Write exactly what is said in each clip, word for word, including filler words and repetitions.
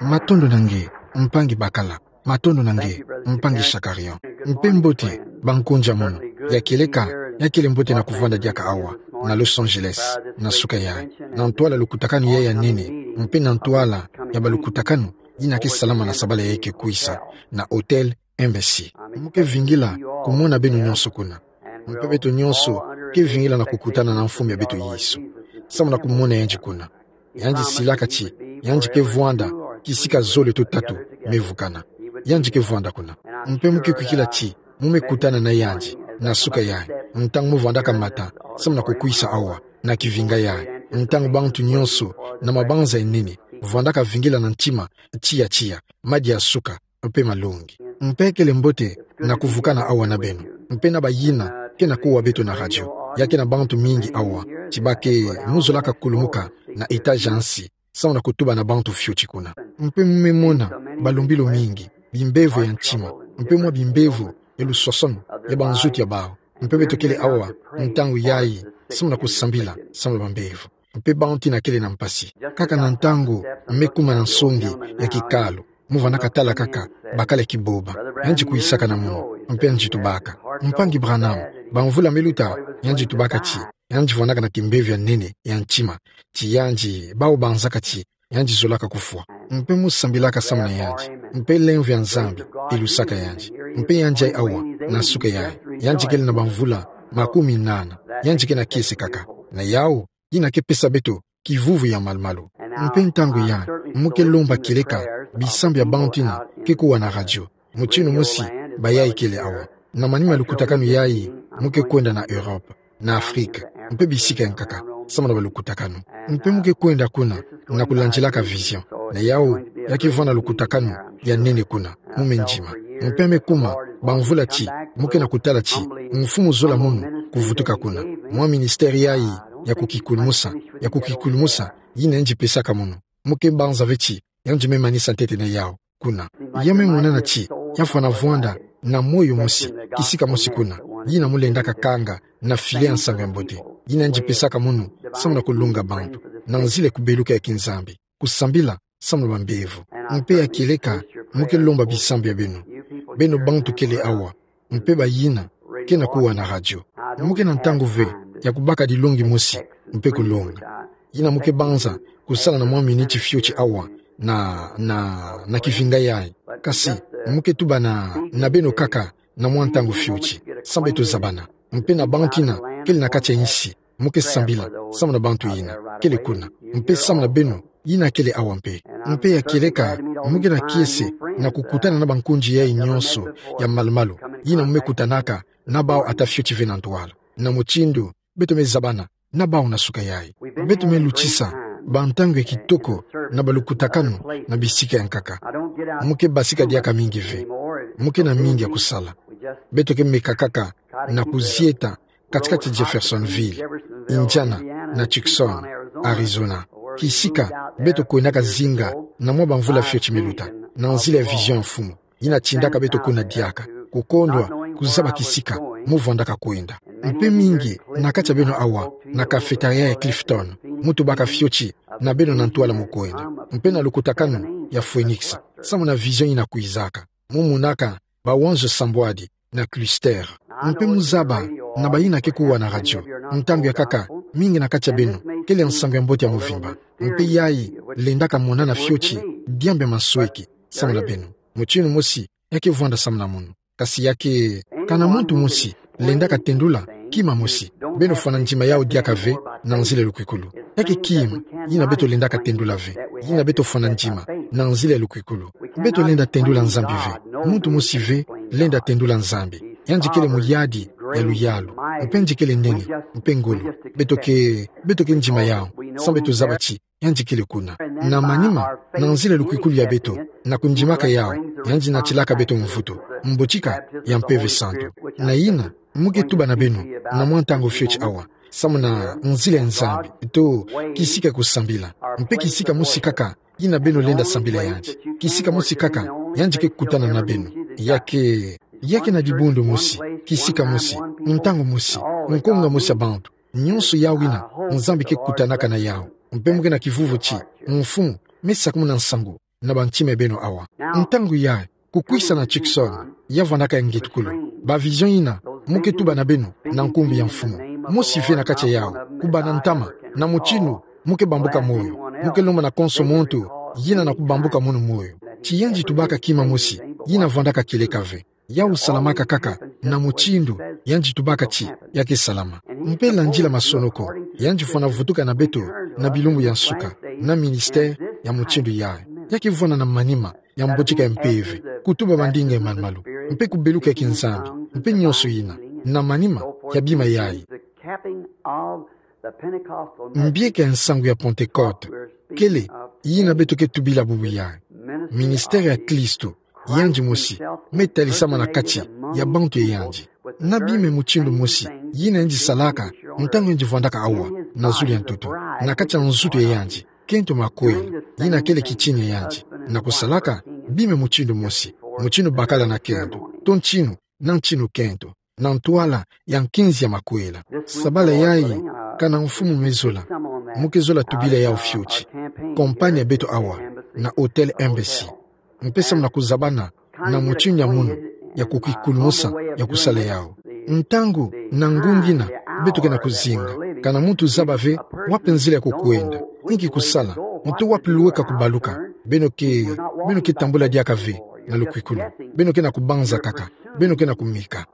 Matondo na nge, mpangi bakala. Matondo na nge, mpangi Shakarian. Mpe mbote, bankonja mono. Ya kieleka, ya kele mbote na kuvwanda diaka awa na Los Angeles, na suka yayi, na ntwala lukutakanu yayi ya nene, mpe na ntwala ya balukutakanu yina ke salama na sabala yayi ke kwisa, na Hôtel Embassy. Mu ke vingila kumona beno nyonso kuna. Mpe beto nyonso ke vingila na kukutana na mfumu ya beto Yesu, samu na kumona yandi kuna. Yandi silaka ti yandi ke vwanda kisika zole to tatu me vukana. Yandi ke vwanda kuna. Mpe mu ke kwikila ti mu me kutana na yandi na suka yayi, ntangu mu vwandaka mata samu na kukwisa awa na kivinga yayi, ntangu bantu nyonso na mabanza ya nene vwandaka vingila na ntima tiya tiya, madia suka, mpe malongi. Mpe kele mbote na kuvukana awa na beno, mpe na bayina ke na kuwa beto na radio, ya ke na bantu mingi awa, ti ba ke mu zolaka kulumuka na étage ya nsi, samu na kutuba na bantu fioti kuna. Mpe mu me mona balumbilu mingi, bimbevo ya ntima, mpe mwa bimbevo ya lusosono ya banzutu ya bawu. Mpe beto kele awa ntangu yayi, samu na kusambila samu na bambevo. Mpe bantu yina kele na mpasi. Kaka na ntangu me kuma na nsongi ya kikalu, mu vwandaka tala kaka bakala ya kiboba, yandi kwisaka na mono, mpe yandi tubaka: Mpangi Branham, bamvula me luta, yandi tubaka ti yandi vwandaka na kimbevo ya nene ya ntima, ti yandi, bawu banzaka ti yandi zolaka kufwa. Mpe mu sambilaka samu na yandi, mpe lemvo ya Nzambi ilusaka yandi. Mpe yandi ayi awa na suka yayi, yandi kele na bamvula makumi nana, yandi ke na kiese kaka. Na yawu yina ke pesa beto kivuvu ya malumalu. Mpe ntangu yayi, mu ke lomba kieleka bisambu ya bantu yina ke kuwa na radio, mutindu mosi bayayi kele awa. Na manima lukutakanu yayi, mu ke kwenda na Europe, na Afrique, mpe bisika ya nkaka, samu na balukutakanu. Mpe mu ke kwenda kuna na kulandilaka vision. Na yawu, ya ke vwanda lukutakanu ya nene kuna, mu me ndima. Mpe me kuma bamvula ti mu ke na kutala ti Mfumu zola mono kuvutuka kuna. Mwa ministère yayi ya kukikulumusa, ya kukikulumusa, yina yandi pesaka mono, mu ke banza ve ti yandi me manisa ntete na yawu kuna. Ya me monana ti ya fwana vwanda na moyo mosi, kisika mosi kuna, yina mu lendaka kanga na filet ya Nsangu ya Mbote, yina yandi pesaka mono samu na kulunga bantu na nzila ya kubeluka ya kinzambi, kusambila samu na bambevo. Mpe ya kieleka, mu ke lomba bisambu ya beno, beno bantu kele awa, mpe bayina ke na kuwa na radio. Mu ke na ntangu ve ya kubaka dilongi mosi mpe kulonga. Yina mu ke banza kusala na mwa miniti fioti awa na, na, na kivinga yayi. Kasi mu ke tuba na, na beno kaka na mwa ntangu fioti, samu beto zabana. Mpe na bantu yina kele na kati ya insi, mu ke sambila samu na bantu yina kele kuna, mpe samu na beno yina kele awa mpe. Mpe ya kieleka, mu ke na kiese na kukutana na bankonji yayi nyonso ya malumalu, yina mu me kutanaka na bawu ata fioti ve na ntwala. Na mutindu beto me zabana na bawu na suka yayi, beto me lutisa bantangu ya kitoko na balukutakanu na bisika ya nkaka. Mu ke basika diaka mingi ve. Mu ke na mingi ya kusala. Beto ke meka kaka na kuzieta katikati ya Jeffersonville, Indiana, na Tucson, Arizona, kisika beto kwendaka zinga na mwa bamvula fioti me luta, na nzila ya vision ya Mfumu, yina tindaka beto kuna diaka, kukondwa kuzaba kisika mu vwandaka kwenda. Mpe mingi na kati ya beno awa na cafétéria ya Clifton, mu tubaka fioti na beno na ntwala mu kwenda, mpe na lukutakanu ya Phoenix, samu na vision yina kwizaka, mu monaka bawanzo sambwadi na cluster. Mpe mu zaba na bayina ke kuwa na radio, ntangu ya nkaka, mingi na kati ya beno kele ya Nsangu ya Mbote ya mvimba. Mpe yayi lendaka monana fioti diambu ya mansweki samu na beno. Mutindu mosi ya ke vwanda samu na mono. Kasi ya ke, kana muntu mosi lendaka tendula kima mosi. Beno fwana ndima yawu diaka ve na nzila ya lukwikulu. Ya ke kima yina beto lendaka tendula ve, yina beto fwana ndima na nzila ya lukwikulu. Beto lenda tendula Nzambi ve. Muntu mosi ve lenda tendula Nzambi. Yandi kele muyadi ya luyalu, mpe yandi kele nene, mpe ngolo. Beto ke, beto ke ndima yawu, samu beto zaba ti yandi kele kuna. Na manima, na nzila ya lukwikulu ya beto, na kundimaka yawu, yandi natilaka beto mvutu, mbotika ya Mpeve Santu. Na yina mu ke tuba na beno na mwa ntangu fioti awa, samu na nzila ya Nzambi, to kisika kusambila, mpe kisika mosi kaka yina beno lenda sambila yandi, kisika mosi kaka yandi ke kutana na beno. Ya ke, ya ke na dibundu mosi, kisika mosi, ntangu mosi, nkonga mosi ya bantu, nyonso yawu yina Nzambi ke kutanaka na yawu. Mpe mu ke na kivuvu ti Mfumu me sakumuna nsangu na bantima beno awa. Ntangu yayi, kukwisa na Tucson, ya vandaka ya ngitukulu. Ba vision yina, mu ke tuba na beno, na nkumbu ya mfumu. Mosi ve na kati ya yawu, kubana ntama, na mutindu, mu ke bambuka moyo, mu ke lomba na konso muntu, yina na kubambuka munu moyo. Ti yandi tubaka kima mosi, yina vandaka kieleka ve. Yawu salamaka kaka, na mutindu, yandi tubaka ti, ya ke salama. Mpe landila masonoko, yandi fwana vutuka na beto, na bilumbu ya nsuka, na ministère, ya mutindu yayi. Ya ke vwanda na manima, ya mbotika ya mpeve, kutuba mandinga ya malu-malu, mpe kubeluka ya kinzambi, mpe nyonso yina, na manima, ya bima yayi. Mbieka ya nsangu ya Pentecôte, kele, yina beto ke tubila bubu yayi. Ministère ya Kristo, yandi mosi, me talisama na kati, ya bantu ya yandi. Na bima ya mutindu mosi, yina yandi salaka, ntangu yandi vwandaka awa, na zulu ya ntoto, na kati ya nzutu ya yandi, kento makwela, yina kele kitini ya yandi, na kusalaka, bima ya mutindu mosi, mutindu bakala na kento, to ntinu, na ntinu kento, na ntwala, ya nkinzi ya makwela. Sabala yayi, kana mfumu me zola, mu ke zola tubila yawu fioti. Compagnie ya beto awa, na Hôtel Embassy. Mpe samu na kuzabana, na mutindu ya munu, ya kukikulumusa, ya kusala yawu. Ntangu, na ngunga yina, beto ke na kuzinga. Kana muntu zaba ve, wapi nzila ya kukwenda. Inki kusala, muntu wapi lweka kubaluka. Beno ke, beno ke tambula diaka ve, na lukwikulu. Beno ke na kubanza kaka. Beno ke na kumeka.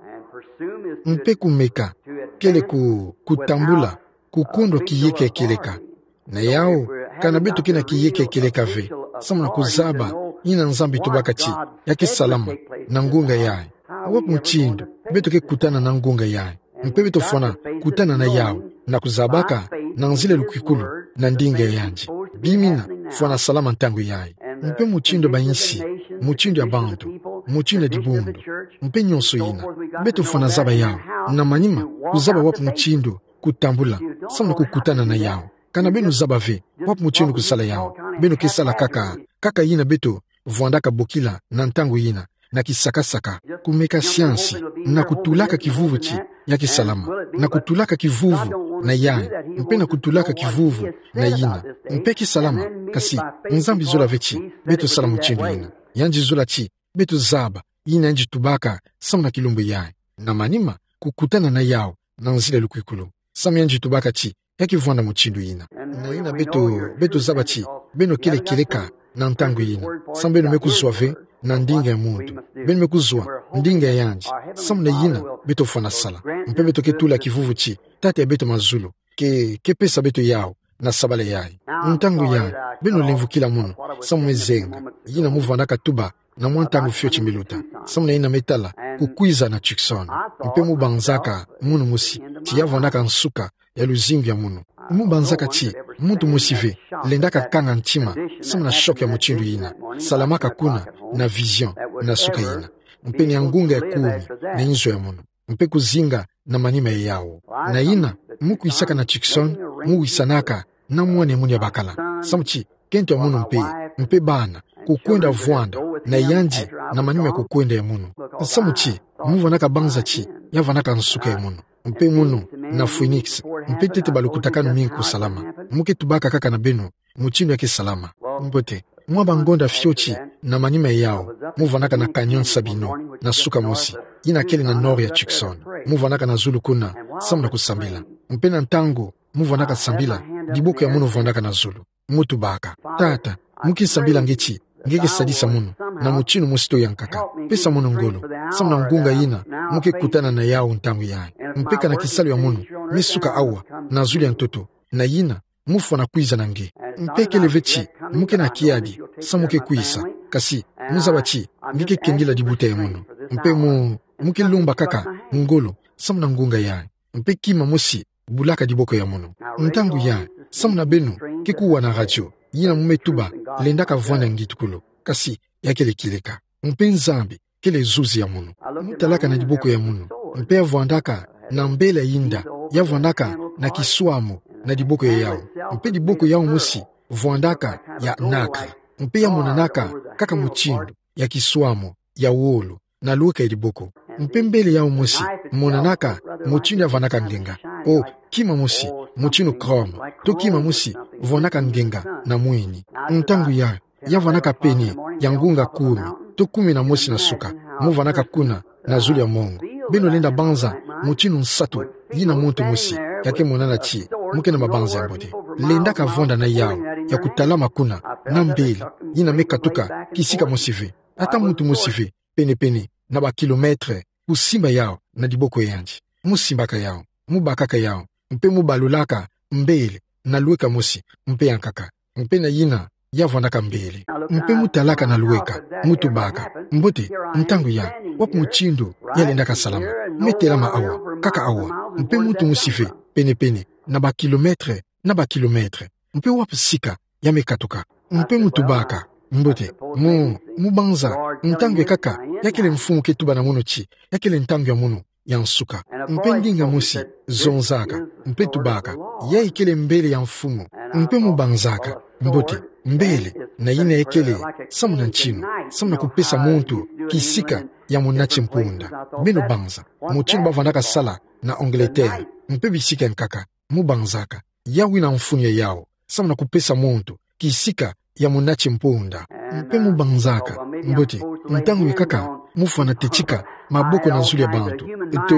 Mpe kumeka, kele ku, kutambula, kukondwa kiyeka kieleka. Na yawu, kana beto ke na kiyeka kieleka ve, samu na kuzaba, yina Nzambi tubaka ti, ya ke salama, na ngunga yayi. Wapi mutindu, beto ke kutana na ngunga yayi. Mpe beto fwana, kutana na yawu, na kuzabaka, na nzila ya lukwikulu, na ndinga ya yandi. Bima yina, fwana salama ntangu yayi. Mpe mutindu ya bayinsi, mutindu ya bantu, mutindu ya dibundu. Mpe nyonso yina, beto fwana zaba yawu, na manima, kuzaba wapi mutindu, kutambula, samu na kukutana na yawu. Kana beno zaba ve, wapi mutindu kusala yawu. Beno ke sala kaka, kaka yina beto, vwandaka bokila, na ntangu yina, na kisakasaka, kumeka siansi, na kutulaka kivuvu ti, ya ke salama, na kutulaka kivuvu, na yayi, mpe na kutulaka kivuvu, na yina, mpe ke salama, kasi, Nzambi zola ve ti, beto sala mutindu yina. Yandi zola ti, beto zaba, yina yandi tubaka, samu na kilumbu yayi. Na manima, kukutana na yawu, na nzila ya lukwikulu. Samu yandi tubaka ti, ya ke vwanda mutindu yina. Na yina beto, beto zaba ti, beno kele kieleka, na ntangu yina. Samu beno me kuzwa ve, na ndinga ya muntu. Beno me kuzwa, ndinga ya yandi. Samu na yina, beto fwana sala. Mpe beto ke tula kivuvu ti, Tata ya beto mazulu. Ke, ke pesa beto yawu, na sabala yayi. Ntangu yayi, beno lemvukila munu, samu me zenga, yina mu vwandaka tuba, na mwa ntangu fioti me luta, samu na yina me tala, kukwiza na Tucson. Mpe mu banzaka, munu mosi, ti ya vwandaka nsuka, ya luzingu ya munu. Mu banzaka ti, muntu mosi ve, lendaka kanga ntima, samu na choc ya mutindu yina, salamaka kuna, na vision, na suka yina. Mpe ni ya ngunga ya kumi, na inzo ya munu. Mpe kuzinga, na manima ya yawu. Na yina, mu kwisaka na Tucson, mu wisanaka, na mwana ya munu ya bakala. Samu ti, kento ya munu mpe, mpe bana, kukwenda vwanda, na yandi, na manima ya kukwenda ya munu. Samu ti, mu vwandaka banza ti, ya vwandaka nsuka ya munu. Mpe munu, na Phoenix, mpe tete balukutakanu mingi kusalama. Mu ke tubaka kaka na beno, mutindu ya ke salama. Mbote, mwa bangonda fioti, na manima ya yawu, mu vwandaka na Canyon Sabino, na suka mosi, yina kele na nord ya Tucson, mu vwandaka na zulu kuna, samu na kusambila. Mpe na ntangu, mu vwandaka sambila, diboko ya munu vwandaka na zulu. Mu tubaka. Tata, mu ke sambila nge ti, nge ke sadisa munu, na mutindu mosi to ya nkaka. Pesa munu ngolo, samu na ngunga yina, mu ke kutana na yawu ntangu yayi. Mpe kana kisalu ya munu, me suka awa, na zulu ya ntoto, na yina, mu fwana kwiza na nge. Mpe kele ve ti, mu ke na kiadi, samu ke kwisa. Kasi, mu zaba ti, nge ke kendila dibuta ya munu. Mpe mu, mu ke lomba kaka, ngolo, samu na ngunga yayi. Mpe kima mosi, bulaka diboko ya munu. Ntangu yayi, samu na beno, ke kuwa na radio, yina mu me tuba, lendaka vwanda ngitukulu. Kasi, ya kele kieleka. Mpe Nzambi, kele zuzi ya munu. Mu talaka na diboko ya munu. Mpe ya vwandaka, na mbele ya inda, ya vwandaka, na kiswamu, na diboko ya yawu. Mpe diboko yawu mosi, vwandaka, ya nacre. Mpe ya monanaka, kaka mutindu, ya kiswamu, ya wolo, na lweka ya diboko. Mpe mbele yawu mosi, monanaka, mutindu ya vwandaka ngenga. O, kima mosi, mutindu chrome. To kima mosi, vwandaka ngenga, na mwini. Ntangu yayi, ya vandaka peni ya ngunga kumi to kumi na mosi na suka, mu vandaka kuna na zulu ya mongo. Beno lenda banza mutinu nsatu, yina muntu mosi, ya ke monana ti, mu ke na mabanza ya mbote. Lendaka vwanda na yau, ya kutalama kuna, na mbele, yina me katuka kisika mosi ve, ata muntu mosi ve, penepene na ba kilomètre, kusimba yau na diboko yandi. Mu simbaka yau, mu bakaka yau, mpe mu balulaka mbele na lweka mosi, mpe yankaka. Mpe na yina ya vwandaka mbele. Mpe mu talaka na lweka, mu tubaka: Mbote, ntangu ya, wapi mutindu ya lendaka salama? Me telama awa, kaka awa. Mpe muntu mosi ve, penepene na ba kilomètre, na ba kilomètre. Mpe wapi sika ya me katuka? Mpe mu tubaka: Mbote, mu, mu banza, ntangu ya nkaka, ya kele mfumu ke tuba na mono ti, ya kele ntangu ya mono ya nsuka. Mpe ndinga mosi zonzaka, mpe tubaka: Yayi kele mbele ya mfumu. Mpe mu banzaka: Mbote, mbele, na yina ya kele samu na ntinu, samu na kupesa muntu kisika ya mona ti mpunda. Beno banza mutinu ba vandaka sala na Angleterre, mpe bisika ya nkaka, mu banzaka: Yawu yina mfunu ya yau, samu na kupesa muntu kisika ya mona ti mpunda. Mpe mu banzaka: Mbote, ntangu ya nkaka, mu fwana tetika maboko na zulu ya bantu, to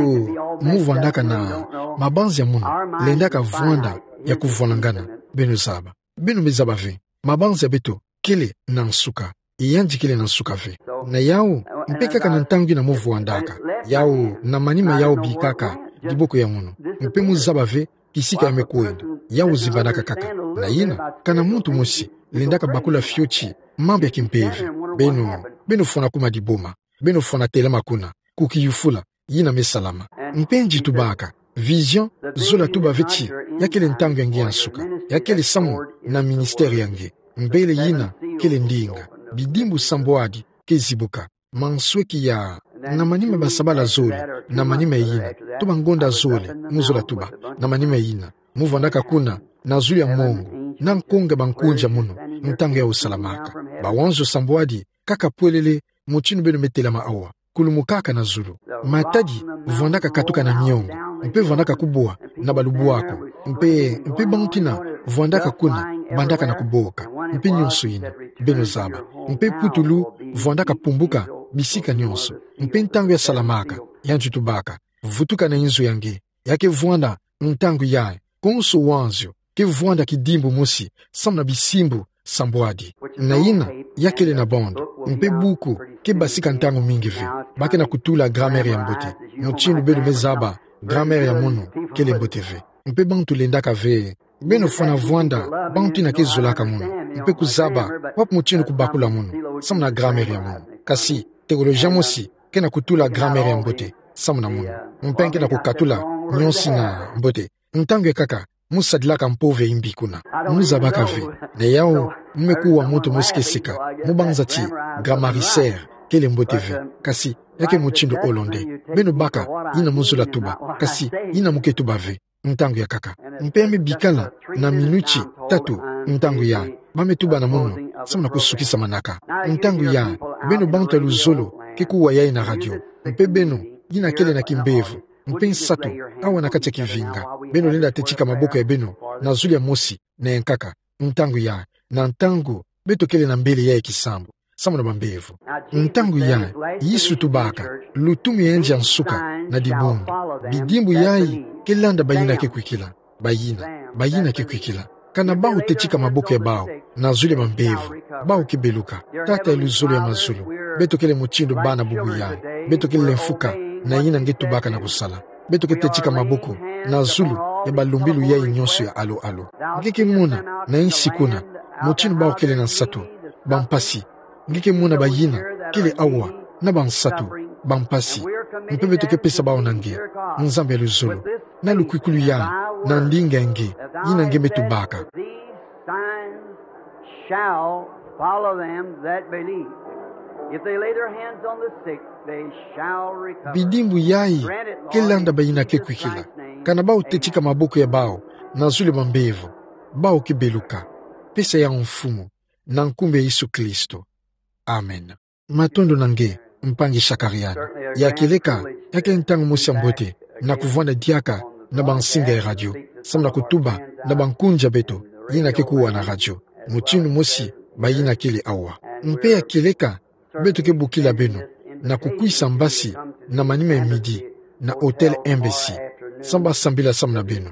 mu vwandaka na mabanza ya mono, lendaka vwanda ya kuvwanangana. Beno zaba. Beno me zaba ve, mabanza ya beto kele na nsuka. Yandi kele na nsuka ve. Na yau, mpe kaka na ntangu yina mu vwandaka, yau na manima yau bikaka diboko ya mono. Mpe mu zaba ve kisika ya me kwenda, yau zimbanaka kaka. Na yina, kana muntu mosi lendaka bakula fioti mambu ya kimpeve, beno, beno fwana kuma diboma, beno fwana telama kuna, ku kiyufula yina me salama. Mpe nji tubaka: Vision, zola tuba ve ti, ya kele ntangu ya nge ya nsuka, ya kele samu na ministère ya nge. Mbele yina kele ndinga, bidimbu sambwadi ke zibuka, mansweki ya, na manima ba sabala zole, na manima yina, to ba ngonda zole, mu zola tuba, na manima yina, mu vwandaka kuna na zulu ya mongo, na nkonga ba nkunja mono, ntangu yau salamaka. Bawanzo sambwadi kaka pwelele, mutinu beno me telama awa, kulumukaka na zulu. Matadi vwandaka katuka na miongo, mpe vwandaka kubwa na ba lubwaku, mpe, mpe bantu yina vwandaka kuna bandaka na kuboka, mpe nionso yina. Beno zaba. Mpe putulu vwandaka pumbuka bisika nionso, mpe ntangu ya salamaka, yandi tubaka: Vutuka na inzo ya nge. Ya ke vwanda ntangu yayi, konso wanzio ke vwanda kidimbu mosi samu na bisimbu sambwadi. Na yina, ya kele na bande, mpe buku ke basika ntangu mingi ve. Ba ke na kutula grammaire ya mbote. Mutinu beno me zaba, grammaire ya mono kele mbote ve. Mpe bantu lendaka ve. Beno fwana vwanda bantu yina ke zolaka mono, mpe kuzaba wapi mutinu kubakula mono samu na grammaire ya mono. Kasi théologien mosi ke na kutula grammaire ya mbote samu na mono, mpe ke na kukatula nionso yina mbote. Ntangu ya nkaka, mu sadilaka mpove mbi kuna. Mu zabaka ve. Na yau, mu me kuwa muntu mosi ke sika, mu banza ti, grammaire kele mbote ve. Kasi, ya ke mutindu hollandais. Beno baka yina mu zola tuba, kasi yina mu ke tuba ve, ntangu ya nkaka. Mpe ya me bikala na minuti tatu, ntangu yayi, ba me tuba na mono samu na kusukisa manaka. Ntangu yayi, beno bantu ya luzolo ke kuwa yayi na radio, mpe beno yina kele na kimbevo, mpe nsatu awa na kati ya kivinga. Beno lenda tetika maboko ya beno na zulu ya mosi na ya nkaka, ntangu yayi, na ntangu beto kele na mbele yayi kisambu samu na bambevo. Ntangu yayi, Yesu tubaka: Lutumu ya yandi ya nsuka na dibundu. Bidimbu yayi ke landa bayina ke kwikila. Bayina, bayina ke kwikila. Kana bau tetika maboko ya bau na zulu ya bambevo, bau ke beluka. Tata ya luzolo ya mazulu, beto kele mutindu bana bubu yayi. Beto kele mfuka na yina nge tubaka na kusala. Beto ke tetika maboko na zulu ya balumbilu yayi nionso ya alo-alo. Nge ke mona na insi kuna mutindu bau kele na nsatu, bampasi. Nge ke mona bayina kele awa na bansatu, bampasi. Mpe beto ke pesa bau na nge, Nzambi ya luzolo, na lukwikulu yayi, na ndinga ya nge, yina nge me tubaka. These signs shall follow them that believe. If they lay their hands on the sick, they shall recover. Bidimbu yayi ke landa bayina ke kwikila. Kana bau tetika maboko ya bau na zulu ya bambevo, bau ke beluka. Pesa yau, Mfumu, na nkumbu ya Yesu Kristo. Amen. Matondo na nge, mpangi Shakarian. Ya kieleka, ya ke ntangu mosi ya mbote na kuvwanda diaka na bansinga ya radio, samu na kutuba na bankunja beto yina ke kuwa na radio. Mutindu mosi bayina kele awa. Mpe ya kieleka, beto ke bukila beno, na kukwisa mbasi, na manima ya midi, na Hôtel Embassy, samu basambila samu na beno.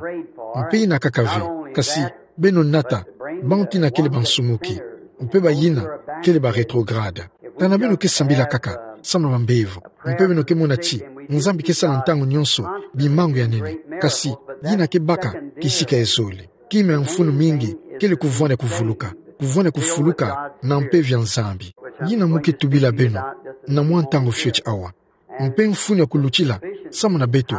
Mpe yina kaka ve, kasi, beno nata, bantu yina kele bansumuki, mpe bayina, kele ba rétrograde. Kana beno ke sambila kaka, samu na bambevo, mpe beno ke mona ti, Nzambi ke sala ntangu nyonso, bimangu ya nene, kasi, yina ke baka, kisika ezole. Kima ya mfunu mingi, kele kuvwanda kuvuluka, kuvwanda kufuluka, na mpeve ya Nzambi. Yina mu ke tubila beno, na mwa ntangu fioti awa. Mpe mfunu ya kulutila, samu na beto,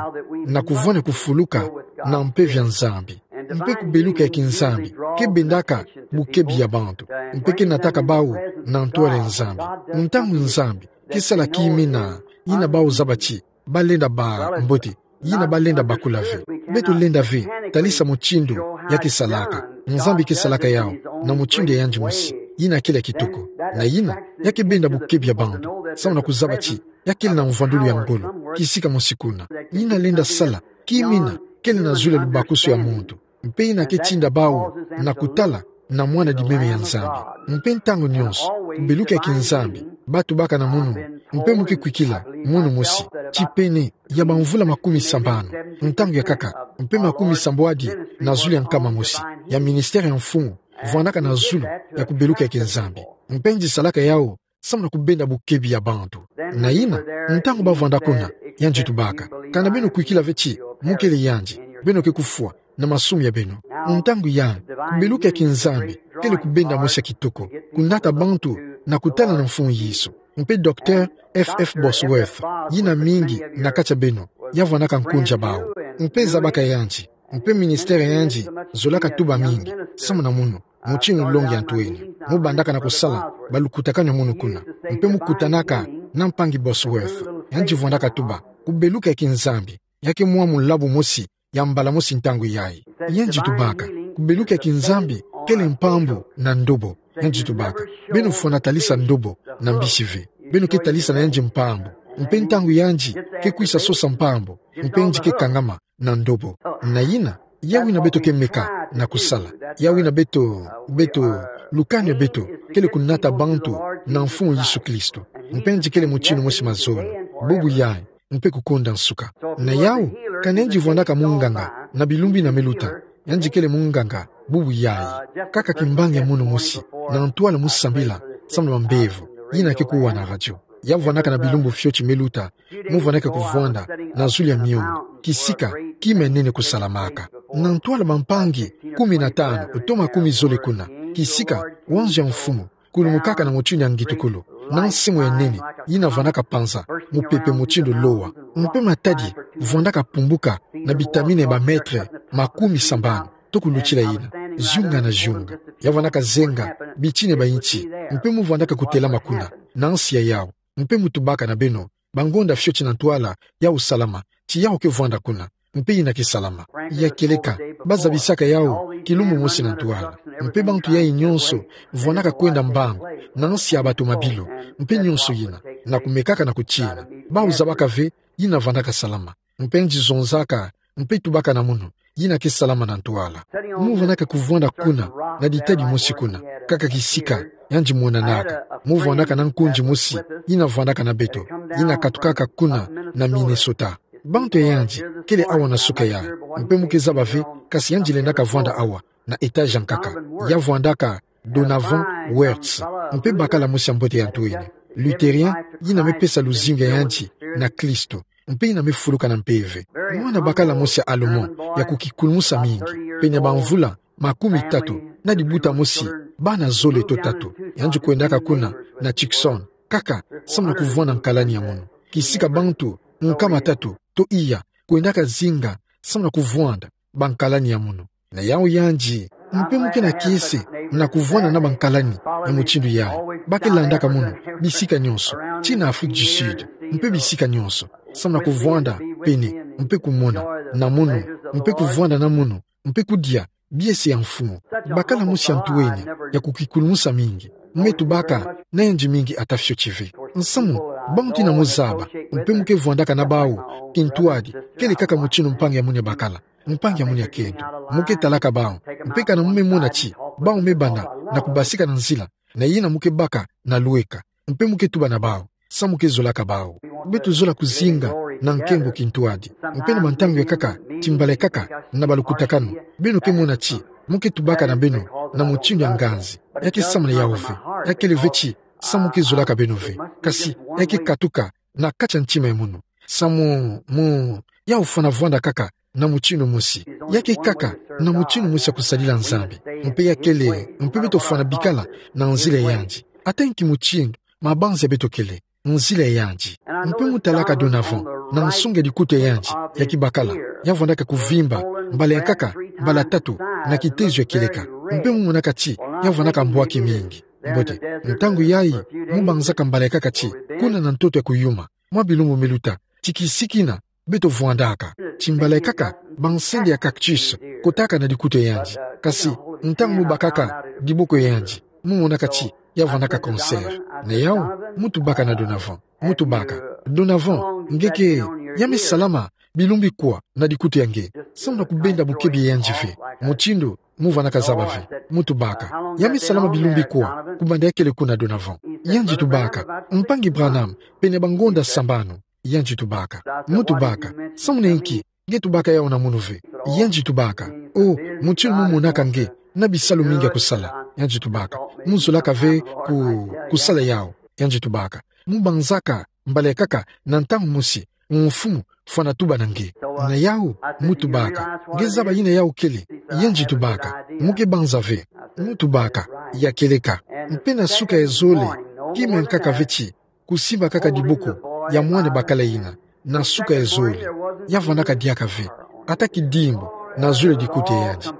na kuvwanda kufuluka, na mpeve ya Nzambi. Mpe kubeluka ya kinzambi, ke bendaka, bukebi ya bantu. Mpe ke nataka bawu, na ntwala ya Nzambi. Ntangu Nzambi, ke sala kimina, yina bawu zaba ti, balenda bâ mbote, yina balenda bakula ve. Beto lenda ve, talisa mutindu, ya ke salaka. Nzambi ke salaka yawu, na mutindu ya yandi mosi, yina kele kitoko. Na yina, ya ke benda bukebi ya bantu, samu na kuzaba ti, ya kele na mvwandulu ya ngolo, kisika mosi kuna. Yina lenda sala, kimina, kele na zulu ya lubakusu ya muntu. Mpe yina ke tinda bawu, na kutala, na mwana dimeme ya Nzambi. Mpe ntangu nyonso, kubeluka ya kinzambi, ba tubaka na munu, mpe mu ke kwikila, munu mosi, ti pene, ya bamvula makumi sambanu, ntangu ya nkaka, mpe makumi sambwadi, na zulu ya nkama mosi, ya ministère ya mfumu, vwandaka na zulu, ya kubeluka ya kinzambi. Mpe yandi salaka yawu, samu na kubenda bukebi ya bantu. Na yina, ntangu bavwanda kuna, yandi tubaka. Kana beno kwikila ve ti, mu kele yandi, beno ke kufwa, na masumu ya beno. Ntangu yandi, kubeluka ya kinzambi, kele kubenda mosi ya kitoko, kunata bantu, na kutala na Mfumu Yesu. Mpe Docteur F F Bosworth, yina mingi, na kati ya beno, ya vwandaka nkunzi ya bawu. Mpe zabaka yandi, mpe ministère ya yandi, zolaka tuba mingi, samu na munu, mutindu longi ya ntwenya. Mu bandaka na kusala, balukutakanu ya munu kuna. Mpe mu kutanaka, na mpangi Bosworth. Yandi vwandaka tuba, kubeluka ya kinzambi. Ya ke mwa mulabu mosi, ya mbala mosi ntangu yayi. Yandi tubaka, kubeluka ya kinzambi, kele mpambu, na ndobo. Yandi tubaka, beno fwana talisa ndobo, na mbisi ve. Beno ke talisa na yandi mpambu. Mpe ntangu yandi, ke kwisa sosa mpambu. Mpe yandi ke kangama, na ndobo. Na yina, yawu yina beto ke meka, na kusala. Yawu yina beto, beto, lukanu ya beto, kele kunata bantu, na Mfumu Yesu Kristo. Mpe yandi kele mutindu mosi mazono. Bubu yayi, mpe kukonda nsuka. Na yawu, kana yandi vwandaka munganga, na bilumbu yina me luta. Yandi kele munganga, bubu yayi. Kaka kimbangi ya munu mosi, na ntwala mu sambila, samu na bambevo, yina ke kuwa na radio. Ya vwandaka na bilumbu fioti me luta, mu vwandaka kuvwanda, na zulu ya miongo, kisika, kima ya nene kusalamaka. Na ntwala bampangi, kumi na tanu, to makumi zole kuna, kisika, wanzu ya Mfumu, kulumukaka na mutindu ya ngitukulu, na nsimu ya nene, yina vwandaka panza, mupepe mutindu lowa. Mpe matadi, vwandaka pumbuka, na bitamina ya ba mètre, makumi sambanu, to kulutila yina, ziunga na ziunga. Ya vwandaka zenga, bitini ya ba inchi, mpe mu vwandaka kutelama kuna, na nsi ya yawu. Mpe mu tubaka na beno, bangonda fioti na ntwala, yawu salama, ti yawu ke vwanda kuna, mpe yina ke salama. Ya kieleka, ba zabisaka yawu, kilumbu mosi na ntwala. Mpe bantu yayi nyonso, vwandaka kwenda mbangu, na nsi ya batomabilu, mpe nyonso yina, na kumekaka na kutina. Bawu zabaka ve, yina vwandaka salama. Mpe yandi zonzaka, mpe tubaka na munu, yina ke salama na ntwala. Mu vwandaka kuvwanda kuna, na ditadi mosi kuna, kaka kisika, yandi monanaka. Mu vwandaka na nkunzi mosi, yina vwandaka na beto, yina katukaka kuna, na Minnesota. Bantu ya yandi, kele awa na suka yayi, mpe mu ke zaba ve, kasi yandi lendaka vwanda awa, na étage ya nkaka. Ya vwandaka, Donovan Wirtz, mpe bakala mosi ya mbote ya ntwenya. Luthérien, yina me pesa luzingu ya yandi, na Kristo. Mpe yina me fuluka na mpeve. Mwana bakala mosi ya Allemand, ya kukikulumusa mingi. Pene bamvula, makumi tatu, na dibuta mosi, bana zole to tatu. Yandi kwendaka kuna, na Tucson. Kaka, samu na kuvwanda nkalani ya munu. Kisika bantu, nkama tatu, to iya, kwendaka zinga, samu na kuvwanda, bankalani ya munu. Na yawu yandi, mpe mu ke na kiese, na kuvwanda na bankalani, ya mutindu yayi. Ba ke landaka munu, bisika nyonso, tii na Afrique du Sud, mpe bisika nyonso. Samu na kuvwanda, pene, mpe kumona, na munu, mpe kuvwanda na munu, mpe kudia, biese ya mfumu. Bakala mosi ya ntwenya, ya kukikulumusa mingi. Me tubaka, na yandi mingi ata fioti ve. Nsamu, bantu yina mu zaba, mpe mu ke vwandaka na bawu, kintwadi, kele kaka mutindu mpangi ya munu ya bakala. Mpangi ya munu ya kento. Mu ke talaka bawu. Mpe kana mu me mona ti, bawu me banda, na kubasika na nzila. Na yina mo ke baka na lweka. Mpe mo ke tuba na bawu. Samu mo ke zolaka bawu. Beto zola kuzinga na nkembo kintuadi. Mpe na bantangu ya kaka, ti mbala ya kaka, na balukutakanu, beno ke mona ti mo ke tubaka na beno na mutindu ya nganzi. Ya ke samu na yawu ve. Ya kele ve ti samu mo ke zolaka beno ve. Kasi, ya ke katuka na kati ya ntima ya mono. Samu mo, yawu fana vwanda kaka na mutindu mosi. Ya ke kaka na mutindu mosi ya kusadila Nzambi. Mpe ya kele, mpe beto fana bikala na nzila yandi. Ata nki mutindu mabanza beto kele, nzila yandi. Mpe mo talaka Donovan na nsonga ya likuta yandi ya kibakala, ya vwandaka kuvimba, mbala ya nkaka, mbala tatu, na kitezo ya kieleka. Mpe mo monaka ti ya vwandaka mbwaki mingi. Mbote, ntangu yayi, mo banzaka mbala ya kaka ti, kuna na ntoto ya kuyuma, mwa bilumbu miluta, ti kisiki na, beto vwandaka. Ti mbala ya kaka, bansende ya cactus kotaka na likuta yandi. Kasi, ntangu mo bakaka diboko yandi, mo monaka ti ya vwandaka cancer. Na yawu, mo tubaka na Donovan. Mo tubaka: Donovan, nge ke, ya me salama bilumbu ikwa na likuta ya nge? Samu na kubenda bokebi ya yandi ve. Mutindu mo vwandaka zaba ve. Mo tubaka: Ya me salama bilumbu ikwa kubanda ya kele kuna, Donovan? Yandi tubaka: Mpangi Branham, pene bangonda sambanu. Yandi tubaka. Mo tubaka: Samu na inki nge tubaka yawu na mono ve? Yandi tubaka: O, mutindu mo monaka nge na bisalu mingi ya kusala. Yandi tubaka: Mo zolaka ve ku, kusala yawu? Yandi tubaka. Mo banzaka mbala ya kaka na ntangu mosi, mfumu fana tuba na nge. Na yawu, mo tubaka: Nge zaba yina yawu kele? Yandi tubaka: Mo ke banza ve. Mo tubaka: Ya kieleka. Mpe na suka ya zole, kima ya nkaka ve ti kusimba kaka diboko ya mwana bakala yina, na suka ya zole, ya vwandaka diaka ve, ata kidimbu na zole ya likuta yandi.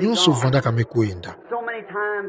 Nyonso vwandaka me kwenda.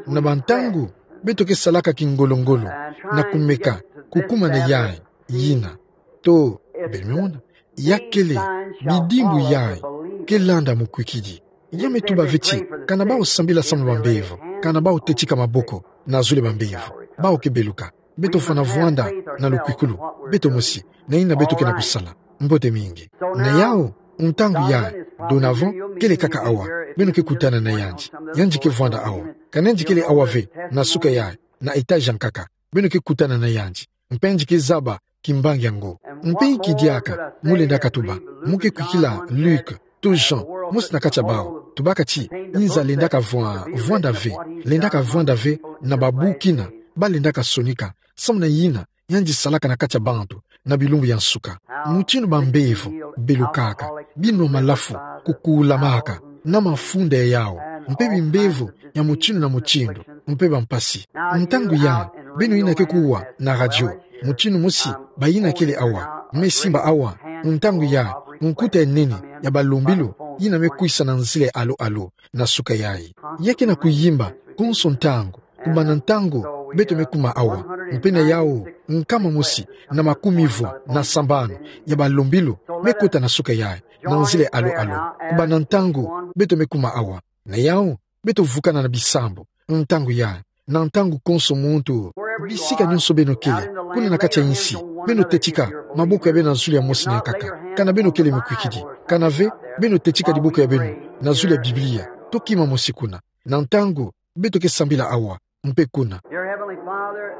Na bantangu, beto ke salaka kingolo-ngolo na kumeka kukuma na yayi, yina. To, beno mona, ya kele bidimbu yayi ke landa mukwikidi. Ya me tuba ve ti, kana bawu sambila samu na bambevo, kana bawu tetika maboko na zole bambevo, bawu ke beluka. Beto fana vwanda na lukwikulu, beto mosi, na yina beto ke na kusala. Mbote mingi. Na yawu, ntangu yayi, Donovan kele kaka awa, beno ke kutana na yandi. Yandi ke vwanda awa. Kana yandi kele awa ve, na suka yayi, na étage ya nkaka, beno ke kutana na yandi. Mpe yandi ke zaba kimbangi yango. Mpe inki diaka mo lendaka tuba? Mo ke kwikila Luc to Jean, mosi na kati ya bawu, tubaka ti, nza lendaka vwa, vwanda ve, lendaka vwanda ve na babu kina ba lendaka sonika, samu na yina yandi salaka na kati ya bantu na bilumbu ya nsuka. Mutindu bambevo belukaka, binwa malafu, kukulamaka na mafunda ya yawu, mpe bimbevo ya mutindu na mutindu, mpe bampasi. Ntangu yayi, beno yina ke kuwa na radio, mutindu mosi, bayina kele awa, me simba awa, ntangu yayi, nkuta ya nene ya balombilu yina me kwisa na nzila ya alo-alo, na suka yayi. Ya ke na kuyimba konso ntangu, kubanda ntangu beto me kuma awa, mpe na yawu, nkama mosi na makumi vwa na sambanu ya balombilu me kota na suka yayi, na nzila ya alo-alo, kubanda ntangu beto me kuma awa. Na yawu, beto vukana na bisambu, ntangu yayi, na ntangu konso muntu, bisika nyonso beno kele, kuna na kati ya insi, beno tetika maboko ya beno na zulu ya mosi na ya nkaka. Kana beno kele mikwikidi, kana ve, beno tetika diboko ya beno na zulu ya Biblia, to kima mosi kuna. Na ntangu beto ke sambila awa, mpe kuna. Dear Heavenly Father,